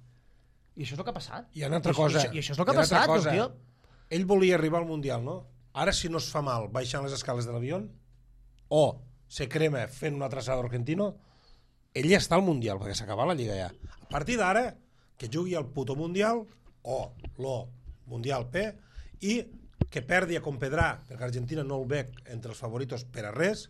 C: I això és el que ha passat.
B: Hi ha una altra
C: I,
B: cosa.
C: I, i això és el que
B: Hi
C: ha
B: una altra
C: passat,
B: cosa.
C: el tio.
B: Ell volia arribar al Mundial, no? Ara, si no es fa mal baixant les escales de l'avió o se crema fent una traçada argentino, ell ja està al Mundial, perquè s'acaba la Lliga ja. A partir d'ara, que jugui al puto Mundial o lo Mundial P i que perdi a Compedrà, perquè Argentina no el veig entre els favoritos per a res,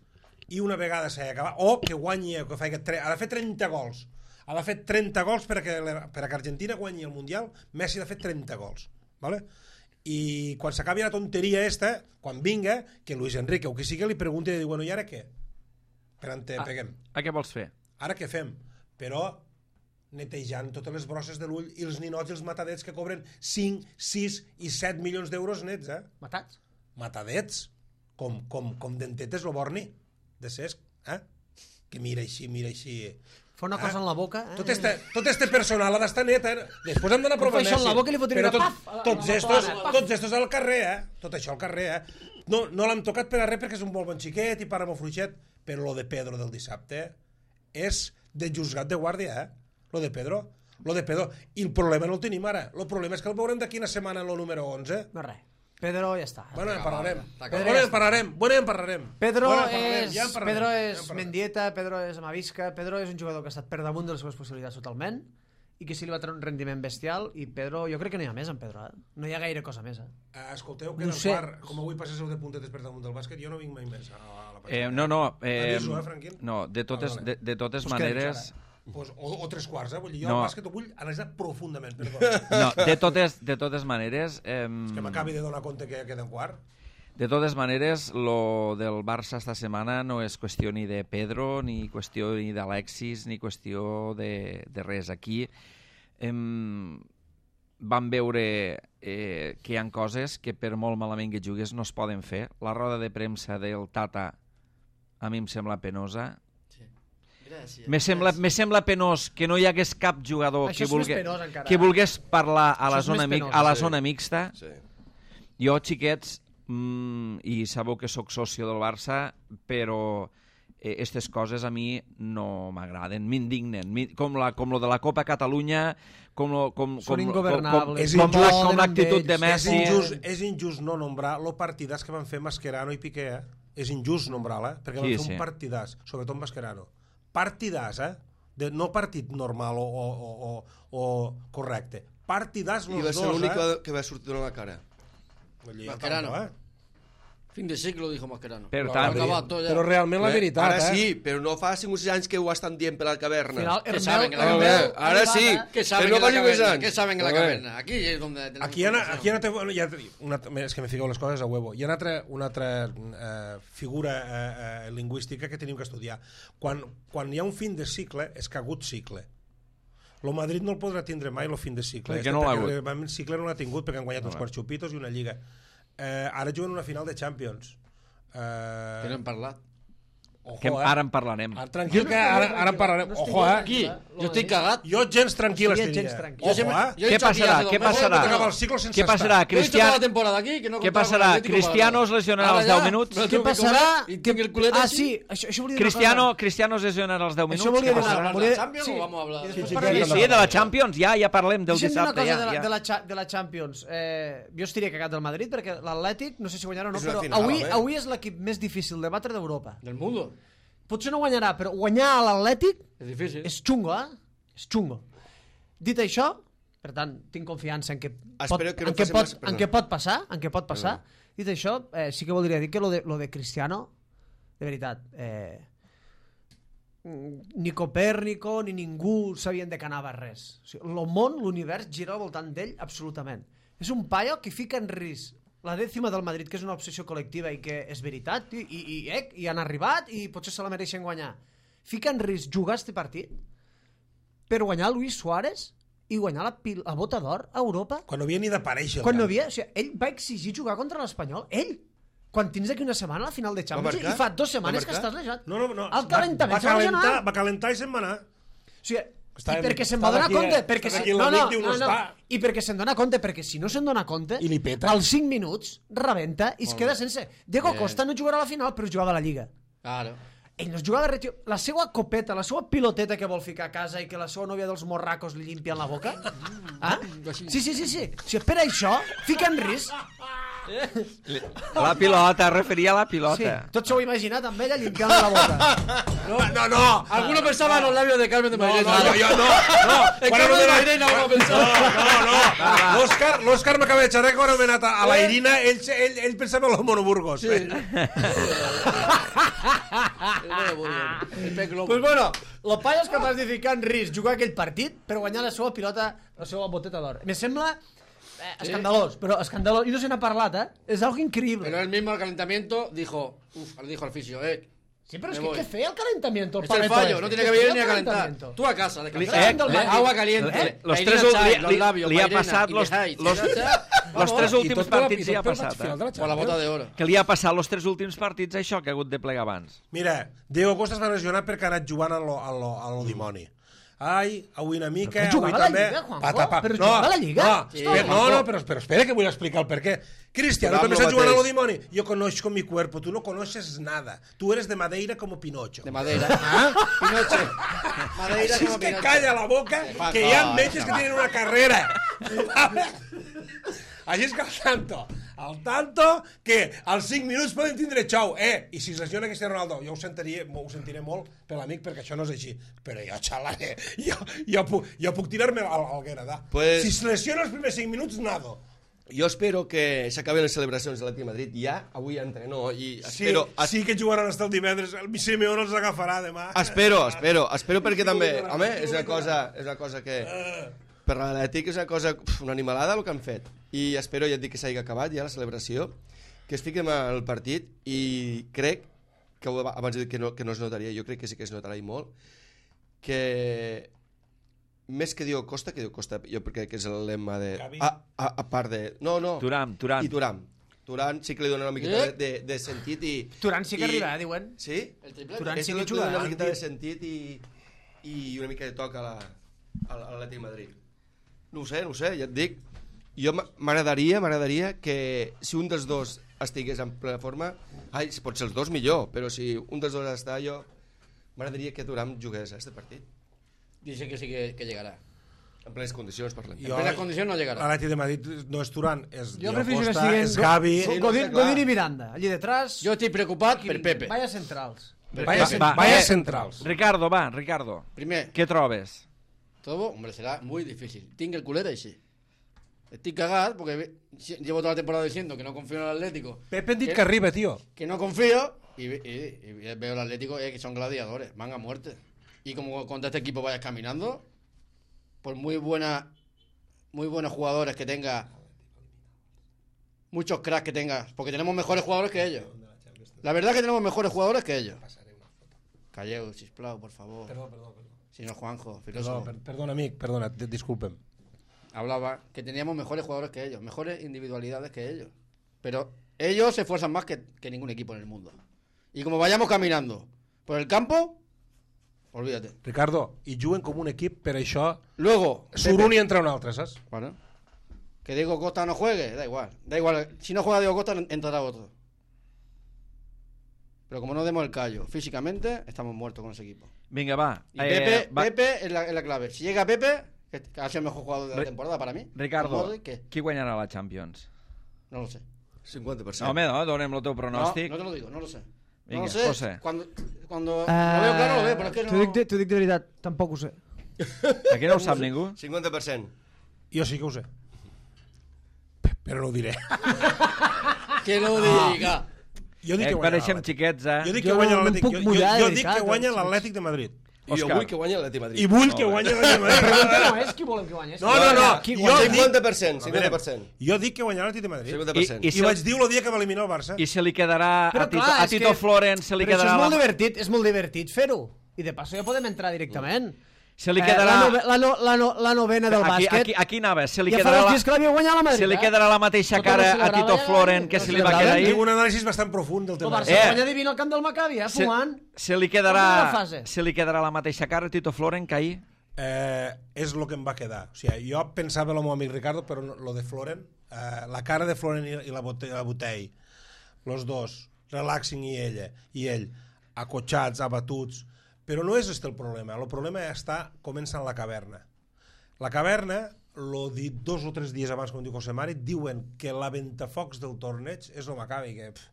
B: i una vegada s'ha acabat, o que guanyi, que fa, ha de fer trenta gols. Ha de fer trenta gols per a que, per a que Argentina guanyi el Mundial. Messi ha de fer trenta gols. ¿Vale? I quan s'acabi la tonteria esta, quan vinga, que Luis Enrique o qui sigui li pregunti i diu, bueno, i ara què? Per on te
A: Ah.
B: peguem?
A: A què vols fer?
B: Ara què fem? Però netejant totes les brosses de l'ull i els ninots i els matadets que cobren cinc, sis i set milions d'euros nets, eh?
C: Matats.
B: Matadets, com, com, com dentetes lo Borni, de Cesc, eh? Que mira així, mira així.
C: Fa una cosa
B: Ah.
C: en la boca... Eh?
B: Tot este, tot este personal ha d'estar net, eh? Després hem d'anar a
C: Però
B: provar
C: fa això en la boca i li fotria
B: Però
C: una
B: tot,
C: paf, a la-
B: tots,
C: a la
B: estos,
C: plana, paf.
B: tots estos al carrer, eh? Tot això al carrer, eh? No, no l'hem tocat per a res perquè és un molt bon xiquet i para molt fluixet, però lo de Pedro del dissabte és de juzgat de guàrdia, eh? Lo de Pedro. Lo de Pedro. I el problema no el tenim ara. El problema és que el veurem d'aquí una setmana en lo número onze.
C: No res. Pedro ja està.
B: Bueno, en parlarem.
F: acabat.
B: Bueno, en parlarem. Bueno, en parlarem.
C: Pedro
B: Bueno, en parlarem,
C: és,
B: ja en parlarem,
C: Pedro
B: ja en
C: és
B: parlarem.
C: Mendieta, Pedro és Amavisca, Pedro és un jugador que ha estat per damunt de les seves possibilitats totalment i que sí li va treure un rendiment bestial i Pedro, jo crec que no hi ha més en Pedro, eh? No hi ha gaire cosa més, eh?
B: Eh, escolteu, que
C: No
B: en el
C: sé.
B: quart, com avui passeu de puntetes per damunt del bàsquet, jo no vinc mai més a la, a la
A: Eh, no, no. Eh,
B: Aviso, eh, Franquín?
A: no, de totes,
B: Ah, vale.
A: de, de totes
C: Pues què
A: maneres...
C: dius
B: Pues, o, o tres quarts, eh? Vull dir, jo
A: No.
B: el bàsquet ho vull analitzar profundament, perdó.
A: No, de totes, de totes maneres... Eh,
B: que m'acabi de donar compte que queda un quart.
A: De totes maneres, lo del Barça esta setmana no és qüestió ni de Pedro, ni qüestió ni d'Alexis, ni qüestió de, de res. Aquí em, vam veure eh, que hi ha coses que per molt malament que jugues no es poden fer. La roda de premsa del Tata a mi em sembla penosa.
F: Sí. Gràcies.
A: Me sembla, me sembla penós que no hi hagués cap jugador
C: Això
A: que,
C: és més
A: vulgui,
C: penós encara,
A: que
C: eh?
A: volgués parlar a la,
C: Això és
A: zona,
C: més
A: mi,
C: penós,
A: a la
D: sí.
A: zona mixta.
D: Sí.
A: Jo, xiquets, mm, i sabeu que sóc socio del Barça, però aquestes coses a mi no m'agraden, m'indignen, com, la, com lo de la Copa Catalunya, com, lo, com,
C: Són
A: com,
C: ingovernables.
A: com, com, com, com l'actitud de
B: És
A: Messi.
B: injust, és injust no nombrar el partidàs que van fer Mascherano i Piqué, eh? És injust nombrar-la, eh? Perquè van
A: Sí,
B: fer
A: sí.
B: un partidàs, sobretot Mascherano. Partidàs, eh? De, no partit normal o, o, o, o, o correcte. Partidàs
D: I
B: los
D: va ser
B: dos,
D: l'únic
B: eh?
D: que va sortir donant la cara.
F: Mascherano.
B: Eh?
F: Fin de ciclo, dijo Mascherano.
A: Per
F: Lo
A: tant-
F: ha acabat tot ja.
B: Però realment la
D: Bé,
B: veritat,
D: ara
B: eh?
D: sí, però no fa cinc o sis anys que ho estan dient per la caverna.
C: Final,
F: ¿Qué saben que la
C: Hermel-
F: caverna?
C: Hermel-
D: Ara sí.
F: ¿Qué saben
D: Pero
F: en la
D: no vaya
F: caverna?
D: pensant.
F: ¿Qué saben en la
D: A ver.
F: caverna? Aquí es donde tenemos
B: Aquí hi ha,
F: información.
B: aquí hi ha, una, te- hi ha una, és que me fiqueu les coses a huevo. Hi ha una altra, una altra eh, figura eh, eh, lingüística que tenim que estudiar. Quan, quan hi ha un fin de cicle, és que ha hagut cicle. Lo Madrid no el podrà tindre mai, el fin de cicle.
A: Per què no l'ha hagut?
B: El cicle no l'ha tingut, perquè han guanyat uns quants xupitos i una lliga. Eh, ara juguen una final de Champions. Eh,
F: Que no hem parlat.
B: ojo,
A: Que
B: eh?
A: ara en parlarem.
B: Ara, tranquil, que ara, ara en parlarem.
C: No estic
B: Ojo, eh?
F: Aquí, jo estic cagat.
B: Jo gens tranquil
C: Estaria
B: estaria.
C: gens tranquil.
F: Jo
B: Ojo,
F: sempre-
B: eh?
F: jo he
A: Què
F: dicho aquí
A: passarà?
F: hace dos
A: Què
F: meses
A: passarà?
F: que
B: Acaba el ciclo sense
A: Què passarà?
F: Yo he dicho
A: Cristian...
F: toda la temporada aquí, que no
A: Què
F: contaba con
A: passarà?
F: el Atlético
A: Cristiano
F: para
A: es lesionarà
F: nada.
A: als
F: Ara
A: deu
F: ja,
A: minuts?
F: me lo
C: Què
F: tengo que
C: passarà?
F: comer y tinc el culet
C: Ah,
F: així.
C: sí, això, això volia dir una
A: Cristiano,
C: cosa.
A: Cristiano es lesionarà als deu minuts?
C: Això volia
A: Què
C: dir
F: ¿Vamos a
A: passarà?
F: hablar de
C: Volia-
F: la Champions
C: sí.
F: o vamos a hablar
C: I
F: de...
C: després
B: Sí,
C: parlarem
A: Sí,
C: de
A: sí, de la Champions, ja, ja parlem del
C: Deixa'm dir una
A: dissabte.
C: cosa
A: Ja,
C: de, la,
A: ja.
C: de, la, cha- de la Champions. Eh, jo estaria cagat del Madrid perquè l'Atlètic, no sé si guanyarà o no,
D: És una
C: però
D: final,
C: avui,
D: eh?
C: avui és l'equip més difícil de batre d'Europa.
F: Del mundo.
C: Potser no guanyarà, però guanyar a l'Atlètic
F: Es difícil.
C: és xungo, eh? És xungo. Dit això, per tant, tinc confiança en què pot,
D: Espero que no
C: en què
D: faci
C: pot,
D: massa-
C: en què pot passar, en què pot passar. Dit això, eh, sí que voldria dir que lo de, lo de Cristiano, de veritat, eh, ni Copèrnico ni ningú sabien de que anava res. O sigui, el món, l'univers, gira al voltant d'ell absolutament. És un paio que fica en risc la dècima del Madrid, que és una obsessió col·lectiva i que és veritat, i, i, i, eh, i han arribat i potser se la mereixen guanyar. Fica en risc jugar este partit per guanyar Luis Suárez i guanyar la, pil, la bota d'or a Europa
B: Quan no havia ni d'aparèixer. el
C: quan no
B: camp.
C: havia, o sigui, ell va exigir jugar contra l'Espanyol, ell, quan tens d'aquí una setmana a la final de Champions
D: marcar?
C: i fa dues
D: Va
C: setmanes que
D: marcar?
C: estàs lesionat.
B: No, no, no.
C: El calentament
B: va,
C: se va
B: calentar,
C: lesionar.
B: va calentar i se'n va anar.
C: O sigui,
B: Està-
C: i perquè se'n
B: està
C: va donar
B: d'aquí,
C: compte,
B: eh?
C: perquè
B: Està
C: si,
B: d'aquí
C: no,
B: l'amic,
C: no,
B: diu,
C: no,
B: no
C: no,
B: està.
C: i perquè se'n dona compte, perquè si no se'n dona compte,
B: I li peta.
C: als cinc minuts rebenta i es queda sense. Diego
F: Bien.
C: Costa no jugarà a la final, però jugava a la Lliga.
F: Claro.
C: Ell no es jugava res, tio. La seva copeta, la seva piloteta que vol ficar a casa i que la seva nòvia dels morracos li limpia en la boca. Ah? Sí, sí, sí, sí. O sigui, per això, fica en risc.
A: La pilota, es referia a la
C: Sí,
A: pilota.
C: tot s'ho heu imaginat amb ella limpiant la boca.
B: No, no, no.
F: Alguno pensaba en los labios de Carmen de
B: No,
F: Mairena.
B: no, jo no. No,
F: En
B: quan
F: Carmen de
B: anomenat-
F: Mairena uno pensaba.
B: No, no. L'Òscar, l'Òscar m'acaba de xerrar que quan ha anomenat a, a la Irina, ell, ell, ell pensava en los monoburgos. Sí.
F: El pez globo.
C: Pues bueno, el paio és capaç de ficar en risc jugar aquell partit per guanyar la seva pilota, la seva boteta d'or. Me sembla eh, escandalós, però escandalós. I no se n'ha parlat, eh? És algo increïble.
F: Pero él mismo al calentamiento dijo, uf, le dijo al fisio, eh,
C: Sí, pero es
F: me
C: que
F: voy.
C: ¿qué fe el calentamiento?
F: es el fallo, no tiene que venir ni a calentar. Tú a casa, descansar.
C: Eh, eh,
F: Agua caliente,
A: eh, los
F: Mairena
A: tres
F: chai,
A: li-
F: los
A: li-
F: labios,
A: li ha
F: Mairena,
A: passat
F: y
A: los-
F: Lejay,
A: los-
F: tira,
A: Los
F: vamos,
A: tres
F: y
A: últims
B: tot per la-
A: partits
B: i
A: ja ha
B: tot per la
A: passat,
B: final de
A: eh?
B: la
F: por la
B: Champions.
F: bota de oro.
A: Que li ha passat los tres últims partits això que ha hagut de plegar abans.
B: Mira, Diego Costa es va lesionar perquè ha anat jugant a lo, a lo, a lo dimoni. Ai, avui una mica,
C: Però que
B: avui
C: jugava a la
B: també...
C: Lliga, Juanjo,
B: Pata, pa.
C: però
B: no,
C: jugava a la Lliga.
B: No,
F: Sí,
B: espera, no,
F: Juanjo.
B: no, però, però espera que vull explicar el per què. Cristiano
D: Però
B: també
D: amb
B: està
D: lo
B: jugant a lo
D: mateix.
B: dimoni. Yo conozco mi cuerpo, tú no conoces nada. Tú eres de Madeira como Pinocho.
F: De madera.
B: ¿Ah?
F: Pinoche. Madeira
B: Així
F: como
B: és que
F: Pinoche.
B: calla la boca,
F: fa
B: que hi ha
F: cosa,
B: metges que tenen una carrera. Així és que al tanto, al tanto, que als cinc minuts poden tindre xou. Eh, i si es lesiona Cristiano Ronaldo, jo ho sentiria, ho sentiré molt per l'amic, perquè això no és així. Però jo, xalaré, jo, jo, puc, jo puc tirar-me al, al Gueradà.
D: Pues-
B: Si es lesiona els primers cinc minuts, nado.
D: Jo espero que s'acaben les celebracions de l'Atlètic de Madrid ja, avui entreno i
B: Sí,
D: espero...
B: sí que jugaran hasta el divendres. El Simeone els agafarà demà.
D: Espero, espero, espero perquè també, home, és una cosa, és una cosa que per l'Atlètic és una cosa, uf, una animalada el que han fet. I espero, ja et dic, que s'hagi acabat ja la celebració, que es fiquem al partit i crec que ho- abans he dit que no, que no es notaria, jo crec que sí que es notarà i molt, que més que Diego Costa, que Diego Costa jo crec que és el lema de...
B: Gavi.
D: A, a, a part de... No, no.
A: Turam, Turam.
D: I Turam. Turam sí que li dona una miqueta
F: Eh?
D: de, de, de sentit i...
C: Turan sí que
D: i-
C: arriba, eh, diuen.
D: Sí?
F: El triplete.
C: Turan
D: És
C: sí
D: el
C: que
D: que li dona
C: jugarà.
D: una miqueta de sentit i, i una mica de toc a la- a l'Atlètic de Madrid. No ho sé, no ho sé, ja et dic. Jo m'agradaria, m'agradaria que si un dels dos estigués en plena forma, ai, pot ser els dos millor, però si un dels dos està, jo m'agradaria que Thuram jugués a este partit.
F: Dice que sí que, que llegará.
D: En plenes condicions, parlem.
F: En plenes condicions no llegará.
B: L'Atlètic de Madrid no és Turán, és
C: Jo
B: Diego
C: prefiero que
B: Costa,
C: estiguin
B: és Gavi...
C: Go-
D: Sí, no
C: Godín,
D: sé, clar.
C: Godín i Miranda, allí detrás.
F: Jo estic preocupat per Pepe.
C: Vaya centrals.
B: Vaya,
A: Va,
B: vaya
A: eh,
B: centrals.
A: Ricardo, va, Ricardo.
F: Primer,
A: Què trobes?
F: todo, hombre, será muy difícil. Tinc el culera y sí. Estoy cagado porque ve- si- llevo toda la temporada diciendo que no confío en el Atlético.
B: Pepe han dit
F: ¿Qué?
B: que arriba, tio.
F: Que no confío y, ve- y- y veo el Atlético eh, que son gladiadores, van a muerte. Y como contra este equipo vayas caminando, por muy buena, muy buenos jugadores que tenga, muchos cracks que tenga, porque tenemos mejores jugadores que ellos. La verdad es que tenemos mejores jugadores que ellos. Calleu, sisplau, por favor.
B: Perdó, perdó, perdó.
F: Si no, Juanjo,
B: Perdó,
F: filósofo.
B: per, perdona, amic, perdona, di- disculpem.
F: Hablaba que teníamos mejores jugadores que ellos, mejores individualidades que ellos. Pero ellos se esfuerzan más que, que ningún equipo en el mundo. Y como vayamos caminando por el campo, olvídate.
B: Ricardo, i juguen com un equip, per això
F: Luego,
B: surt
F: Pepe-
B: un i entra un altre, saps?
F: Bueno, que Diego Costa no juegue, da igual. Da igual, si no juega Diego Costa, entrará otro. Pero como no demos el callo físicamente, estamos muertos con ese equipo.
A: Vinga, va.
F: Y Pepe,
A: va.
F: Pepe es la, es la clave. Si llega Pepe, que ha sido el mejor jugador de la
A: Re-
F: temporada para mí.
A: Ricardo,
F: con Modric, ¿qué?
A: qui guanyarà la Champions?
F: No lo sé.
D: cinquanta per cent.
A: No, home, no, donem el teu
F: No,
A: pronòstic.
F: no te lo digo, no lo sé.
A: Venga,
F: no lo sé.
A: José.
F: Cuando, cuando lo veo claro, lo veo, pero es que
C: T'ho
F: no...
C: dic, de, t'ho dic de veritat, tampoc ho sé.
A: Aquí no ho sap ningú?
D: cinquanta per cent.
B: Jo sí que ho sé. Pe- Però no ho diré.
F: Que lo diga.
B: Jo dic
A: Eh,
B: que guanya
A: pareixem
B: l'Atlètic.
A: xiquets, eh?
B: Jo dic que
C: Jo
B: guanya
C: no em
B: l'Atlètic.
C: puc
B: Jo, jo,
C: mullar,
B: jo
C: de
B: dic que
C: veritat,
B: guanya
C: doncs.
B: l'Atlètic de Madrid.
D: I jo
A: Òscar.
D: vull que guanyi l'Atlètic de Madrid.
B: I vull que guanya l'Atlètic de
C: La
B: Madrid.
C: pregunta no és qui volem que guanyi. és
B: No,
C: qui
B: no, no.
C: guanya. Qui
B: Jo
C: guanya?
B: dic-
D: cinquanta per cent, cinquanta per cent.
B: Jo dic que guanyarà l'Atlètic de Madrid.
D: cinquanta per cent.
A: I-
B: I, vaig dir el dia que va eliminar el Barça.
A: I se li quedarà
C: Però
A: a Tito,
C: clar,
A: a
C: és
A: Tito
C: que-
A: Florent, se li
C: Però això
A: quedarà
C: és molt
A: la,
C: divertit, és molt divertit fer-ho. I de passo ja podem entrar directament.
A: se li
C: Eh,
A: quedarà...
C: la, nove, la, no, la, no, la novena del
A: aquí,
C: bàsquet.
A: aquí, aquí anava, se li
C: ja fa
A: quedarà
C: dos
A: la,
C: dies que l'havia guanyat la Madrid.
A: se li
C: eh?
A: quedarà la mateixa
C: Tothom
A: cara
C: ho
A: a
C: celebrava
A: Tito
C: ja,
A: Florent
C: eh?
A: que
C: Ho
A: se li va
C: celebraven.
A: quedar
B: Tinc
A: ahir.
B: un anàlisi bastant profund del
C: El
B: tema.
C: Barça
A: Eh.
C: guanya divino al camp del Maccabi, eh?
A: Se,
C: Fumant.
A: se li
C: Com una
A: quedarà
C: fase.
A: se li quedarà la mateixa cara a Tito Florent que ahir.
B: Eh, és el que em va quedar. O sigui, jo pensava en el meu amic Ricardo, però no, lo de Florent, eh, la cara de Florent i, i la, bote, la Botell, los dos, relaxing i ella, i ell, acotxats, abatuts, però no és este el problema. El problema està comença en la caverna. La caverna, lo dit dos o tres dies abans, com diu José Mari, diuen que la ventafocs del torneig és el Maccabi, que... Pff,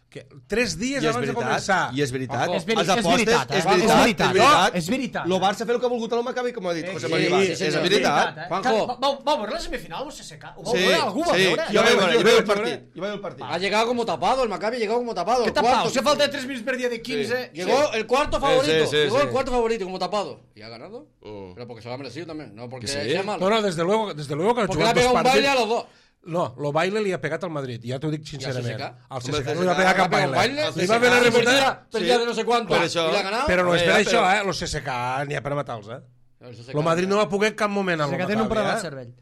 B: que tres dies
D: I és
B: abans de
D: veritat,
B: començar.
D: i és veritat.
F: Ojo.
C: És veri-
D: Els
C: és
D: apostes,
C: veritat, eh?
D: és veritat,
C: És veritat,
D: és veritat.
C: és veritat.
D: Lo Barça fer el que ha volgut el Maccabi, com ha dit José María
F: sí,
D: Vaz.
F: sí,
D: És
F: senyor.
D: veritat.
C: eh?
F: Juanjo.
C: Va, va, va veure la semifinal, no sé si ho vau
D: Sí,
C: veure? Algú va
D: sí,
C: veure?
D: jo vaig veure, jo vaig el
B: veure.
D: partit. Jo vaig el partit.
F: Ha llegado como tapado, el Maccabi ha llegado como tapado.
C: Què
F: el
C: tapau?
F: cuarto.
C: Si falta tres minuts per dia de quinze...
F: Llegó el cuarto favorito.
D: sí, sí,
F: llegó
D: sí.
F: el cuarto favorito como tapado. ¿Y ha ganado?
D: Mm.
F: Pero porque se lo ha merecido también, no porque
D: Que sí.
F: sea malo.
B: No, no, desde luego, desde luego que ha
F: Porque le ha
B: jugat dos
F: pegado un
B: partits.
F: baile a los dos.
B: No, lo baile li ha pegat al Madrid, ja t'ho dic sincerament.
F: C S K?
B: Al
D: Home,
B: C S K
D: el
B: no li va
D: C S K
B: pegar cap
F: Le ha pegado un
B: baile.
F: baile.
B: Li va fer la
F: C S K
B: remuntada.
F: perdía de no sé cuánto.
D: Per això.
F: ¿Y le ha ganado?
B: Però no és
D: Eh,
B: per
D: ja,
B: això,
D: però-
B: eh? Lo C S K n'hi ha per matar-los, eh?
F: El C S K.
B: Lo Madrid no va poder en cap moment amb
C: Se
B: el
C: que tenen un problema al
B: Maccabi, eh?
C: cervell.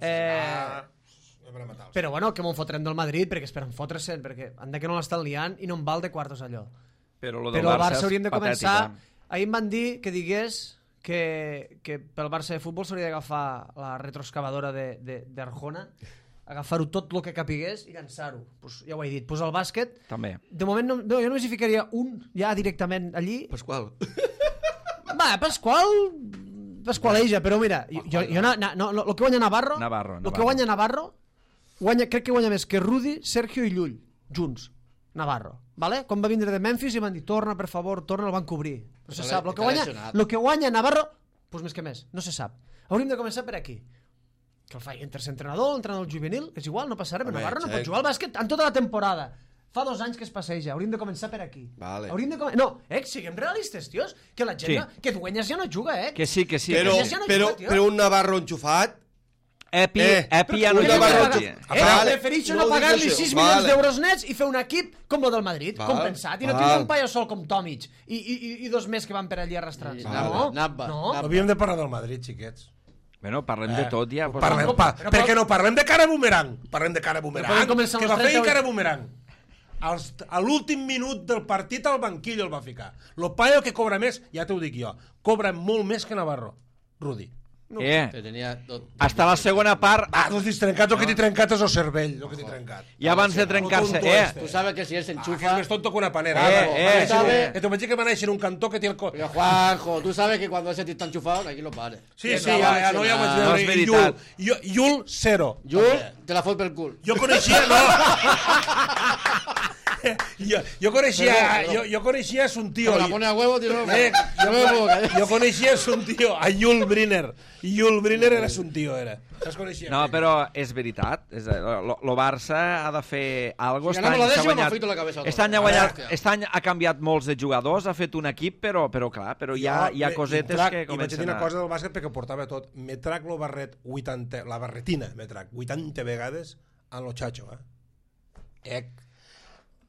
C: Eh,
B: Ah, no per matar-los.
C: però bueno, que m'ho fotrem del Madrid, perquè esperen fotre-se'n, perquè han de que no l'estan liant i no en val de quartos allò.
A: Però, lo del
C: Però el
A: Barça
C: Barça
A: és
C: hauríem de
A: patètic,
C: començar...
A: eh?
C: Ahir em van dir que digués que, que pel Barça de futbol s'hauria d'agafar la retroexcavadora de- de- d'Arjona, agafar-ho tot el que capigués i llançar-ho. Pues, ja ho he dit. Pues el bàsquet,
A: També.
C: de moment no, no, jo només hi ficaria un ja directament allí.
D: Pasqual.
C: Va, Pasqual... Pasqualeja, però mira, jo, jo, jo na, na, no, el que guanya Navarro,
A: Navarro,
C: el
A: Navarro.
C: que guanya Navarro, guanya, crec que guanya més que Rudi, Sergio i Llull, junts. Navarro, vale? Quan va vindre de Memphis i van dir, torna, per favor, torna, el van cobrir. No se
F: Està
C: sap. El que
F: està
C: guanya,
F: lesionat.
C: lo que guanya Navarro, pues més que més, no se sap. Hauríem de començar per aquí. Que el faci el tercer entrenador, l'entrenador juvenil, és igual, no passa res,
D: Home,
C: Navarro no
D: check.
C: pot jugar al bàsquet en tota la temporada. Fa dos anys que es passeja, hauríem de començar per aquí.
D: Vale.
C: Hauríem de com... No, eh, siguem realistes, tios, que la gent,
A: Sí.
C: no, que Dueñas ja no juga, eh.
A: Que sí, que sí.
D: Però,
A: que
C: ja
A: sí.
C: no
D: però,
C: juga, tio.
D: però un Navarro enxufat...
A: Epi,
D: Eh,
A: Epi ja no
C: Però
A: juga.
C: que
D: Navarro-
C: pagar-
A: aquí.
C: Eh,
D: Vale.
C: prefereixo
D: No
C: no
D: ho dic
C: pagar-li
D: això.
C: sis
D: Vale.
C: milions d'euros nets i fer un equip com el del Madrid,
D: Val.
C: compensat, i no
D: Val.
C: tindre un paio sol com Tomic i, i, i, i dos més que van per allí arrastrant.
F: I
C: No,
F: Nabba, Nabba,
C: no.
F: Nabba.
B: Havíem de parlar del Madrid, xiquets.
A: Bueno, parlem de tot ja. Pues,
B: Parlem,
C: però-
B: pa,
C: però-
B: per què no parlem de cara bumerang? Parlem de cara bumerang.
C: podem començar
B: Que
C: amb
B: va
C: els
B: fer
C: trenta-vuit.
B: cara bumerang. Als, a l'últim minut del partit al banquillo el va ficar. Lo paio que cobra més, ja t'ho dic jo, cobra molt més que Navarro. Rudi.
C: No.
A: Eh,
F: Que tenia tot...
A: hasta la segona part,
B: Ah, doncs t'has trencat, el que t'he trencat és el cervell, el que t'he trencat.
A: i abans de trencar-se...
B: tonto
A: Eh,
B: este.
F: Tú sabes que si él se
B: Ah, que
F: enchufa...
B: és més tonto que una panera.
A: Eh,
B: Juanjo.
A: eh,
B: Va néixer un-
F: sabe-
B: Que te vaig dir que va néixer en un cantó que té el... co-
F: Pero Juanjo, tú sabes que cuando ese tío está enchufado, aquí lo pares.
B: Sí, sí, ja, ja, no, ja ho vaig
A: No
B: veure.
A: és
B: I
A: veritat.
B: Yul, Yul, Yul, zero.
F: Yo te la fue pel cul.
B: Jo coneixia, no. jo, jo coneixia,
F: Però,
B: jo, jo coneixia és un tio.
F: Como la pone a huevo, tío. No,
B: Eh,
F: yo me puedo callar.
B: jo coneixia és un tio, a Yul Brynner. Yul Brynner era un tio, era. Saps coneixia?
A: no, però és veritat. És, el Barça ha de fer alguna
F: Si
A: cosa.
F: ganamos la décima, me afeito la cabeza.
A: Aquest any, ha
F: A
A: guanyat,
F: veure.
A: aquest any ha canviat molts de jugadors, ha fet un equip, però, però clar, però hi ha, hi ha cosetes
B: trac,
A: que
B: I vaig dir
A: comencen
B: una
A: a...
B: cosa del bàsquet perquè portava tot. Me trac lo barret vuitanta, la barretina, me trac vuitanta vegades en lo xacho, eh? Ec.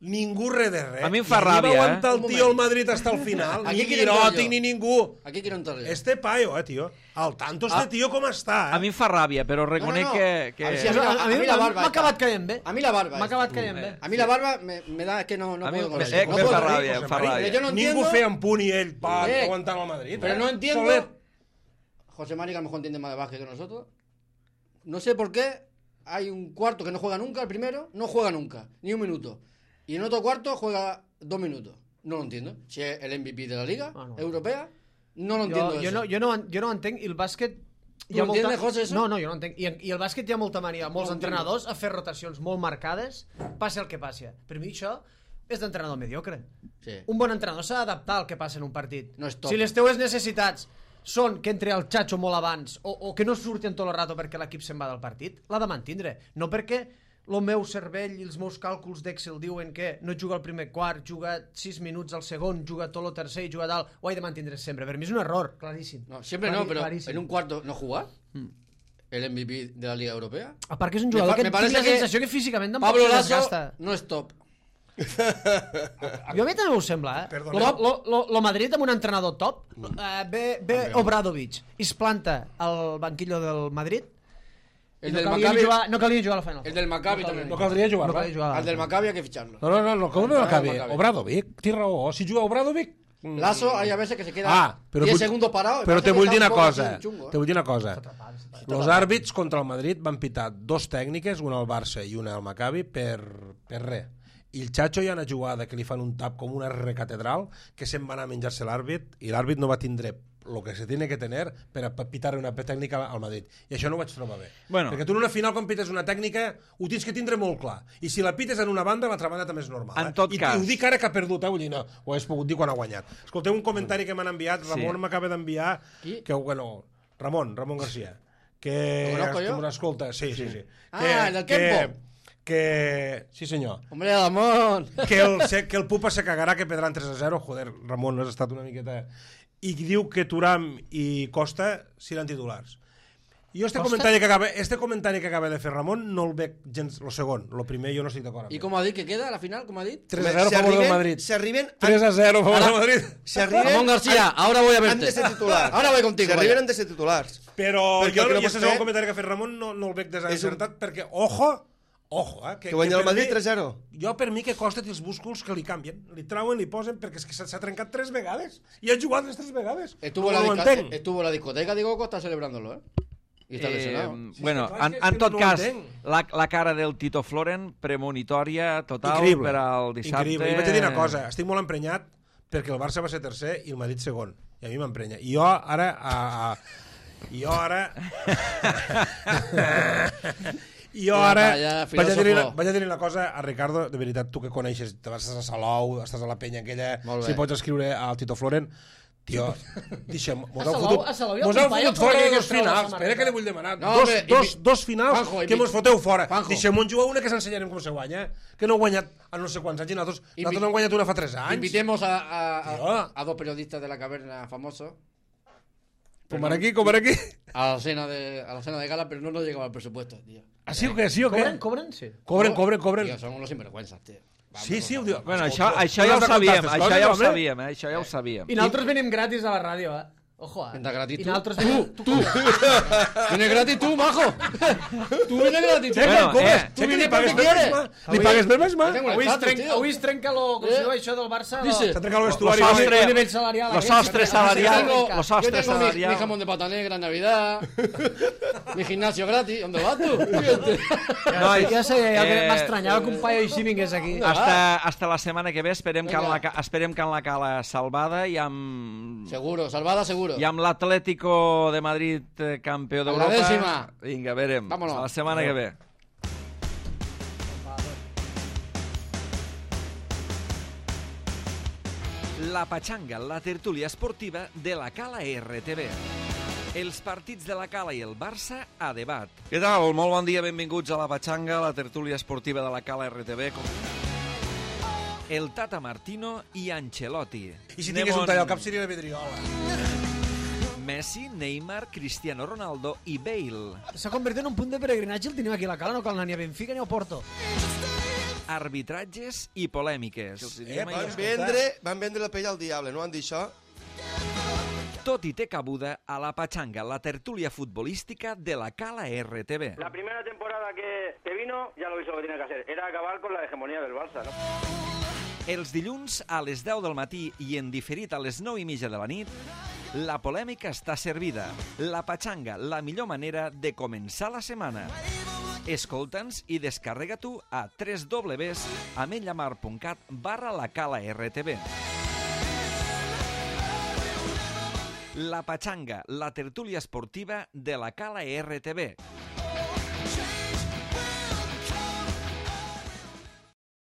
B: Ningú res de res.
A: A mi em fa
B: I
A: ràbia,
B: va aguantar
F: eh?
B: el tio al Madrid hasta el final.
F: Aquí
B: Ni
F: quiero entrar
B: Guiròtic
F: yo.
B: ni ningú.
F: Aquí quiero entrar yo.
B: Este paio, eh, tio. Al tanto este
A: Ah,
B: tio com està, eh?
A: A mi em fa ràbia, però reconec
F: No, no, no.
A: que... que...
F: A ver si
C: A,
F: mí la-
C: a,
F: a
C: mi
F: mí la
C: m'ha
F: barba
C: m'ha
F: esta.
C: acabat caient bé.
F: A mí la barba.
C: M'ha
F: esta.
C: acabat caient bé.
F: A mí la barba me, me da que no, no
A: A mi
F: puedo con
A: me-
F: eso.
A: eh,
F: No
A: me
F: puedo
A: fa
F: con
A: ràbia,
F: eso.
A: em fa
B: Marín,
A: ràbia.
F: Pero yo no
B: Ningú
F: entiendo-
B: feia un punt i ell pa,
F: Eh,
B: aguantant el Madrid.
F: Pero
B: eh?
F: no entiendo...
B: Solet.
F: José Mari, que a lo mejor entiende más de básquet que nosotros. No sé por qué hay un cuarto que no juega nunca, el primero, no juega nunca, ni un minuto. Y en otro cuarto juega dos minutos. No lo entiendo. Si es el M V P de la Liga
C: Ah, no.
F: Europea, no lo entiendo.
C: Jo, jo,
F: eso.
C: no, jo, no, jo no entenc, i el bàsquet...
F: Tu ho entiendes, José, eso?
C: No, no, jo no entenc. I, I el bàsquet hi ha molta mania, molts entrenadors, a fer rotacions molt marcades, passi el que passi. Per mi això és d'entrenador mediocre.
F: Sí.
C: Un bon entrenador s'ha d'adaptar al que passa en un partit.
F: No és top.
C: Si les teues necessitats són que entri el xatxo molt abans o, o que no surten tot el rato perquè l'equip se'n va del partit, l'ha de mantindre. No perquè el meu cervell i els meus càlculs d'Excel diuen que no juga al primer quart, juga sis minuts al segon, juga tot el tercer i juga dalt, ho he de mantindre sempre. Per mi és un error, claríssim.
F: No, siempre
C: Clarí-
F: no, pero
C: claríssim.
F: en un cuarto no jugar. El M V P de la Liga Europea.
C: A part que és un
F: Me
C: jugador
F: fa-
C: que
F: me
C: tinc
F: parece
C: la
F: que
C: sensació que físicament tampoc
F: Pablo
C: se
F: Lasso
C: desgasta.
F: no es top.
C: Jo a mi també m'ho sembla, eh?
B: Perdoneu.
C: Lo, lo, lo, lo Madrid amb un entrenador top, eh, ve, ve Obradovic i es planta al banquillo del Madrid.
F: El
C: no
F: del
C: calia ni
F: Maccabi,
C: jugar, no calia ni jugar a la final.
F: el del Maccabi
C: no
F: también.
B: No caldria jugar,
C: no
B: va?
C: calia jugar.
F: Al del Maccabi hay que ficharlo.
B: No, no, no, no, com no
F: Ah,
B: acabi?
F: Maccabi.
B: Obradovic, té raó. Si juga Obradovic... mm,
F: Lasso hay a veces que se queda
B: Ah, però
F: diez
B: vull-
F: segundos parado. y
B: Però
F: parece
B: te
F: que
B: vull
F: está
B: dir
F: un
B: una
F: poco
B: cosa.
F: así chungo, ¿eh?
B: Te vull dir una cosa. Els àrbits contra el Madrid van pitar dos tècniques, una al Barça i una al Maccabi, per, per res. I el Chacho hi ha una jugada que li fan un tap com una recatedral que se'n va anar a menjar-se l'àrbit i l'àrbit no va tindre el que se tiene que tener per a pitar una tècnica al Madrid. I això no ho vaig trobar bé.
A: Bueno.
B: Perquè tu en una final, quan pites una tècnica, ho tens que tindre molt clar. I si la pites en una banda, l'altra banda també és normal.
A: En
B: eh?
A: tot
B: I,
A: cas.
B: I ho dic ara que ha perdut, eh? Vull dir, no, ho hagués pogut dir quan ha guanyat. Escolteu un comentari que m'han enviat, Ramon
A: Sí.
B: m'acaba d'enviar,
F: Qui?
B: que, bueno, Ramon, Ramon García, que...
F: ¿Lo conozco yo?
B: que m'escolta, sí, sí, sí.
F: Ah,
B: que,
F: el del
B: que,
F: Kempo.
B: que, sí senyor,
F: Hombre, Ramón.
B: que el, se- que el Pupa se cagarà, que perdran tres a zero, joder, Ramon, has estat una miqueta... I diu que Turam i Costa seran titulars. Jo este
C: Costa?
B: comentari, que acaba, este comentari que acaba de fer Ramon no el veig gens, lo segon, lo primer jo no estic d'acord amb
F: ¿Y
B: ell.
F: cómo ha dicho que queda a la final? ¿Cómo ha dicho?
B: tres a zero a
D: Si
B: favor del
D: arriben-
B: Madrid.
D: Si arriben...
B: tres a zero a favor del Madrid.
D: Si arriben...
F: Ramón García,
D: han-
F: ahora voy a verte.
D: Han de ser titulars.
F: Ahora voy contigo,
D: Si arriben
F: vaya.
D: han de ser titulars.
B: Però
D: Perquè
B: jo,
D: el que no
B: i
D: pots
B: este segon
D: fer-
B: comentari que ha fet Ramon no, no el veig
D: És un-
B: desencertat, perquè, ojo, ojo, eh,
D: Que guanya el
B: per
D: Madrid
B: mi-
D: tres a zero.
B: Jo, per mi, que Costa té els músculs que li canvien. Li trauen, li posen, perquè és que s'ha s'ha trencat tres vegades. I ha jugat les tres vegades.
F: Estuvo,
B: no
F: la
B: ho
F: disca-
B: entenc.
F: estuvo la discoteca, digo, Costa celebrándolo, ¿eh? Y está lesionado.
A: Eh, bueno,
B: clar,
A: en,
B: és que
A: en tot
B: no ho
A: cas,
B: entenc.
A: la, la cara del Tito Floren, premonitòria total
B: Increïble.
A: per al dissabte.
B: Increïble. I vaig a dir una cosa, estic molt emprenyat perquè el Barça va ser tercer i el Madrid segon. I a mi m'emprenya. I jo ara... A, a, I jo ara... I jo
F: Ja,
B: ara
F: ja,
B: vaig a dir
F: filòsofo.
B: vaig a dir una cosa a Ricardo, de veritat, tu que coneixes, te vas a Salou, estàs a la penya aquella,
F: Molt bé.
B: si pots escriure al Tito Floren, tio, deixa'm, mos
C: A
B: heu
C: Salou-
B: fotut,
C: a Salou hi ha
B: mos
C: un
B: heu
C: paio
B: fotut
C: que
B: fora
C: volia
B: de dos
C: que es troba la
B: finals,
C: samarreta.
B: espera que li vull demanar,
F: No,
B: dos,
F: home,
B: dos,
F: invi-
B: dos finals
F: Juanjo,
B: que
F: invi-
B: mos foteu fora,
F: Juanjo.
B: deixem un jugar una que s'ensenyarem com se guanya, que no heu guanyat a no sé quants anys, i nosaltres,
F: Invi-
B: nosaltres no hem guanyat una fa tres anys.
F: Invitemos a, a, a,
B: Tío.
F: a dos periodistas de la caverna famosos
B: Com per aquí, com per aquí.
F: a la cena de, a la cena de gala, pero no nos llegaba el presupuesto, tío.
B: Ah, sí o què, sí o què?
C: Cobren, cobren? Sí.
B: Cobren, cobren, cobren.
F: Tío, son unos sinvergüenzas, tío. Vamos,
B: Sí, sí, ho diu.
A: Bueno,
B: Escolta,
A: això, això
B: tu
A: ja
B: has
A: ho
B: de
A: sabíem,
B: contar
A: això
B: aquestes
A: ja ho
B: coses, home.
A: sabíem, eh? Això ja ho sabíem.
C: I nosaltres venim gratis a la ràdio, eh? Ojo, eh?
F: Venda gratis
C: I
F: tu.
C: nosaltres...
F: Tu, tu. Viene gratis tú, majo. Tú vienes gratis.
B: Cheque,
A: Bueno,
B: com
A: eh,
B: és?
F: tu
B: Cheque,
F: vienes
B: li pagues
F: perquè
B: per
F: quieres.
B: Benzema. Li pagues per Benzema.
F: Tengo
C: Avui
F: el
C: es trenca,
F: tío.
C: avui es trenca lo, com
F: Eh?
C: si diu això del Barça.
F: Dice.
B: S'ha trencat el
A: Los
B: vestuari.
A: sostres,
C: El nivell salarial.
A: los
C: aquest,
A: sostres
C: que- que-
A: salarial,
C: que- que-
A: los
F: Yo
A: sostres
F: tengo mi,
A: salarial.
F: mi jamón de patané, gran Navidad. Mi gimnasio gratis. ¿Dónde vas tú? Fíjate.
A: No,
C: Ja sé, ja
A: eh,
C: m'estranyava que un paio així vingués aquí.
A: Hasta, hasta la setmana que ve esperem que, en
F: Vinga.
A: la, ca- esperem que en la cala salvada i amb,
F: Seguro, salvada seguro.
A: i amb l'Atlético de Madrid eh, campió
F: la
A: d'Europa.
F: dècima.
A: Vinga, verem.
F: Vámonos.
A: A la setmana que ve. La Pachanga, la tertúlia esportiva de la Cala R T V. Els partits de la Cala i el Barça a debat. Què tal? Molt bon dia, benvinguts a la Pachanga, la tertúlia esportiva de la Cala R T V. El Tata Martino i Ancelotti.
B: I si tingués un tall al cap seria la vidriola.
A: Messi, Neymar, Cristiano Ronaldo i Bale.
C: S'ha convertit en un punt de peregrinatge, el tenim aquí a la Cala, no cal anar ni a Benfica ni a Porto.
A: Arbitratges i polèmiques.
B: Eh,
D: Van
B: Escolta.
D: vendre, van vendre la pell al diable, no van dir això?
A: Tot i té cabuda a la Pachanga, la tertúlia futbolística de la Cala R T V.
E: La primera temporada que, que vino ya lo hizo lo que tenía que hacer. Era acabar con la hegemonía del Barça, ¿no?
A: Els dilluns a les deu del matí i en diferit a les nou i mitja de la nit, la polèmica està servida. La Pachanga, la millor manera de començar la setmana. Escolta'ns i descarrega tu a w w w punt ametlllamar punt cat barra la Cala R T V. La Pachanga, la tertúlia esportiva de la Cala R T V.